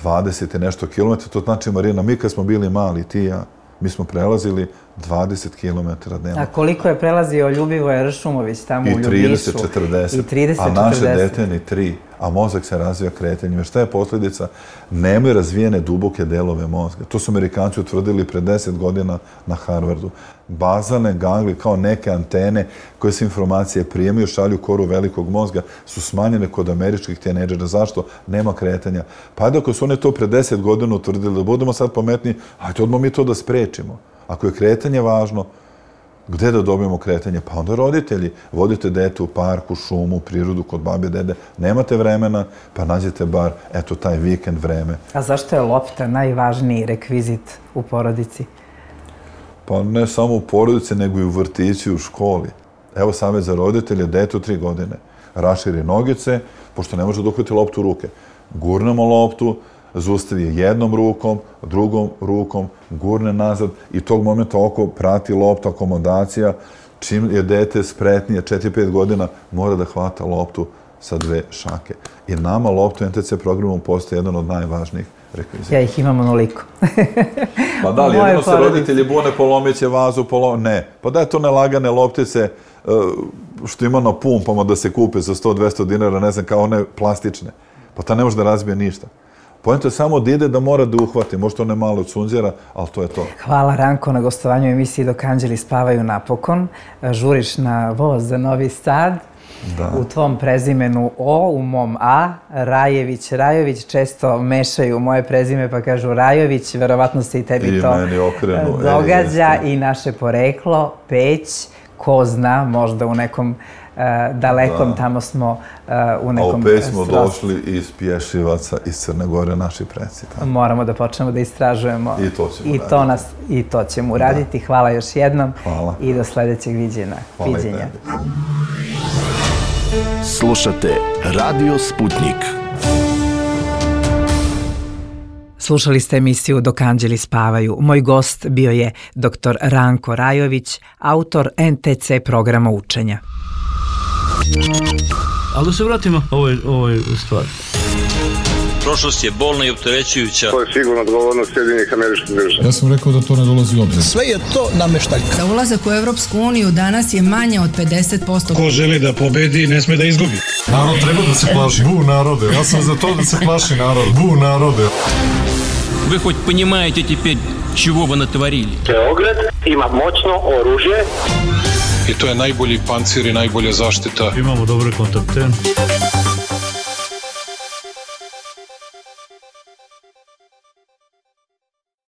20 i nešto kilometara. To znači, Marina, mi kad smo bili mali, ti i ja, mi smo prelazili 20 km dnevno. A koliko je prelazio Ljubivoje Ršumović tamo u Ljubišu? I 30-40. I 30-40. A naše dete ni 3. A mozak se razvija kretanjem. Šta je posljedica? Nemaju razvijene duboke delove mozga. To su Amerikanci utvrdili pre 10 godina na Harvardu. Bazalne ganglije, kao neke antene koje se informacije prijemaju, šalju koru velikog mozga, su smanjene kod američkih tinejdžera. Zašto? Nema kretanja. Pa ajde, ako su oni to pre 10 godina utvrdili, da budemo sad pametni, ajde odmah mi to da sprečimo. Ako je kretanje važno, gde da dobijemo kretanje? Pa onda roditelji. Vodite dete u parku, šumu, prirodu, kod babe, dede. Nemate vremena, pa nađete bar, eto, taj vikend vreme. A zašto je lopta najvažniji rekvizit u porodici? Pa ne samo u porodici, nego i u vrtići, u školi. Evo savjet za roditelje, dete u 3 godine. Raširi nogice, pošto ne može da uhvati loptu u ruke. Gurnemo loptu, zaustavi je jednom rukom, drugom rukom, gurne nazad i tog momenta oko prati lopta, akomodacija. Čim je dete spretnije, 4-5 godina, mora da hvata loptu sa 2 šake. I nama lopta u NTC programu postaje jedan od najvažnijih rekvizita. Ja ih imam onoliko. Pa da li, jedino se roditelji bune, polomit će vazu, ne. Pa da je to nelagane loptice što ima na pumpama da se kupe za 100-200 dinara, ne znam, kao one plastične. Pa ta ne može da razbije ništa. Poenta je samo da ide da mora da uhvati. Možda one malo od sunđera, ali to je to. Hvala, Ranko, na gostovanju u emisiji Dok anđeli spavaju napokon. Žuriš na voz za Novi Sad. Da. U tvom prezimenu O, u mom A, Rajević, često mešaju moje prezime pa kažu Rajović, verovatno se i tebi to događa i naše poreklo, Peć, ko zna, možda u nekom dalekom, tamo smo u nekom... A u Peć smo došli iz Pješivaca, iz Crne Gore, naši preci. Moramo da počnemo da istražujemo. I to ćemo uraditi. I to ćemo uraditi. Hvala još jednom. Hvala. I do sledećeg viđenja. Hvala i tebi. Slušate Radio Sputnik. Slušali ste emisiju Dok anđeli spavaju. Moj gost bio je dr. Ranko Rajović, autor NTC programa učenja. Ali da se vratimo ovoj stvari. Prošlost je bolna i opterećujuća. To je sigurno odgovornost Sjedinjenih Američkih Država. Ja sam rekao da to ne dolazi u obzir. Sve je to nameštaljka. Za ulazak u Evropsku uniju danas je manje od 50%. Ko želi da pobedi, ne sme da izgubi. Narod treba da se plaši. Bu narode. Ja sam za to da se plaši narod. Bu narode. Вы хоть понимаете теперь, чего вы натворили? Beograd ima moćno oružje. I to je najbolji pancir i najbolja zaštita. Imamo dobre kontakte.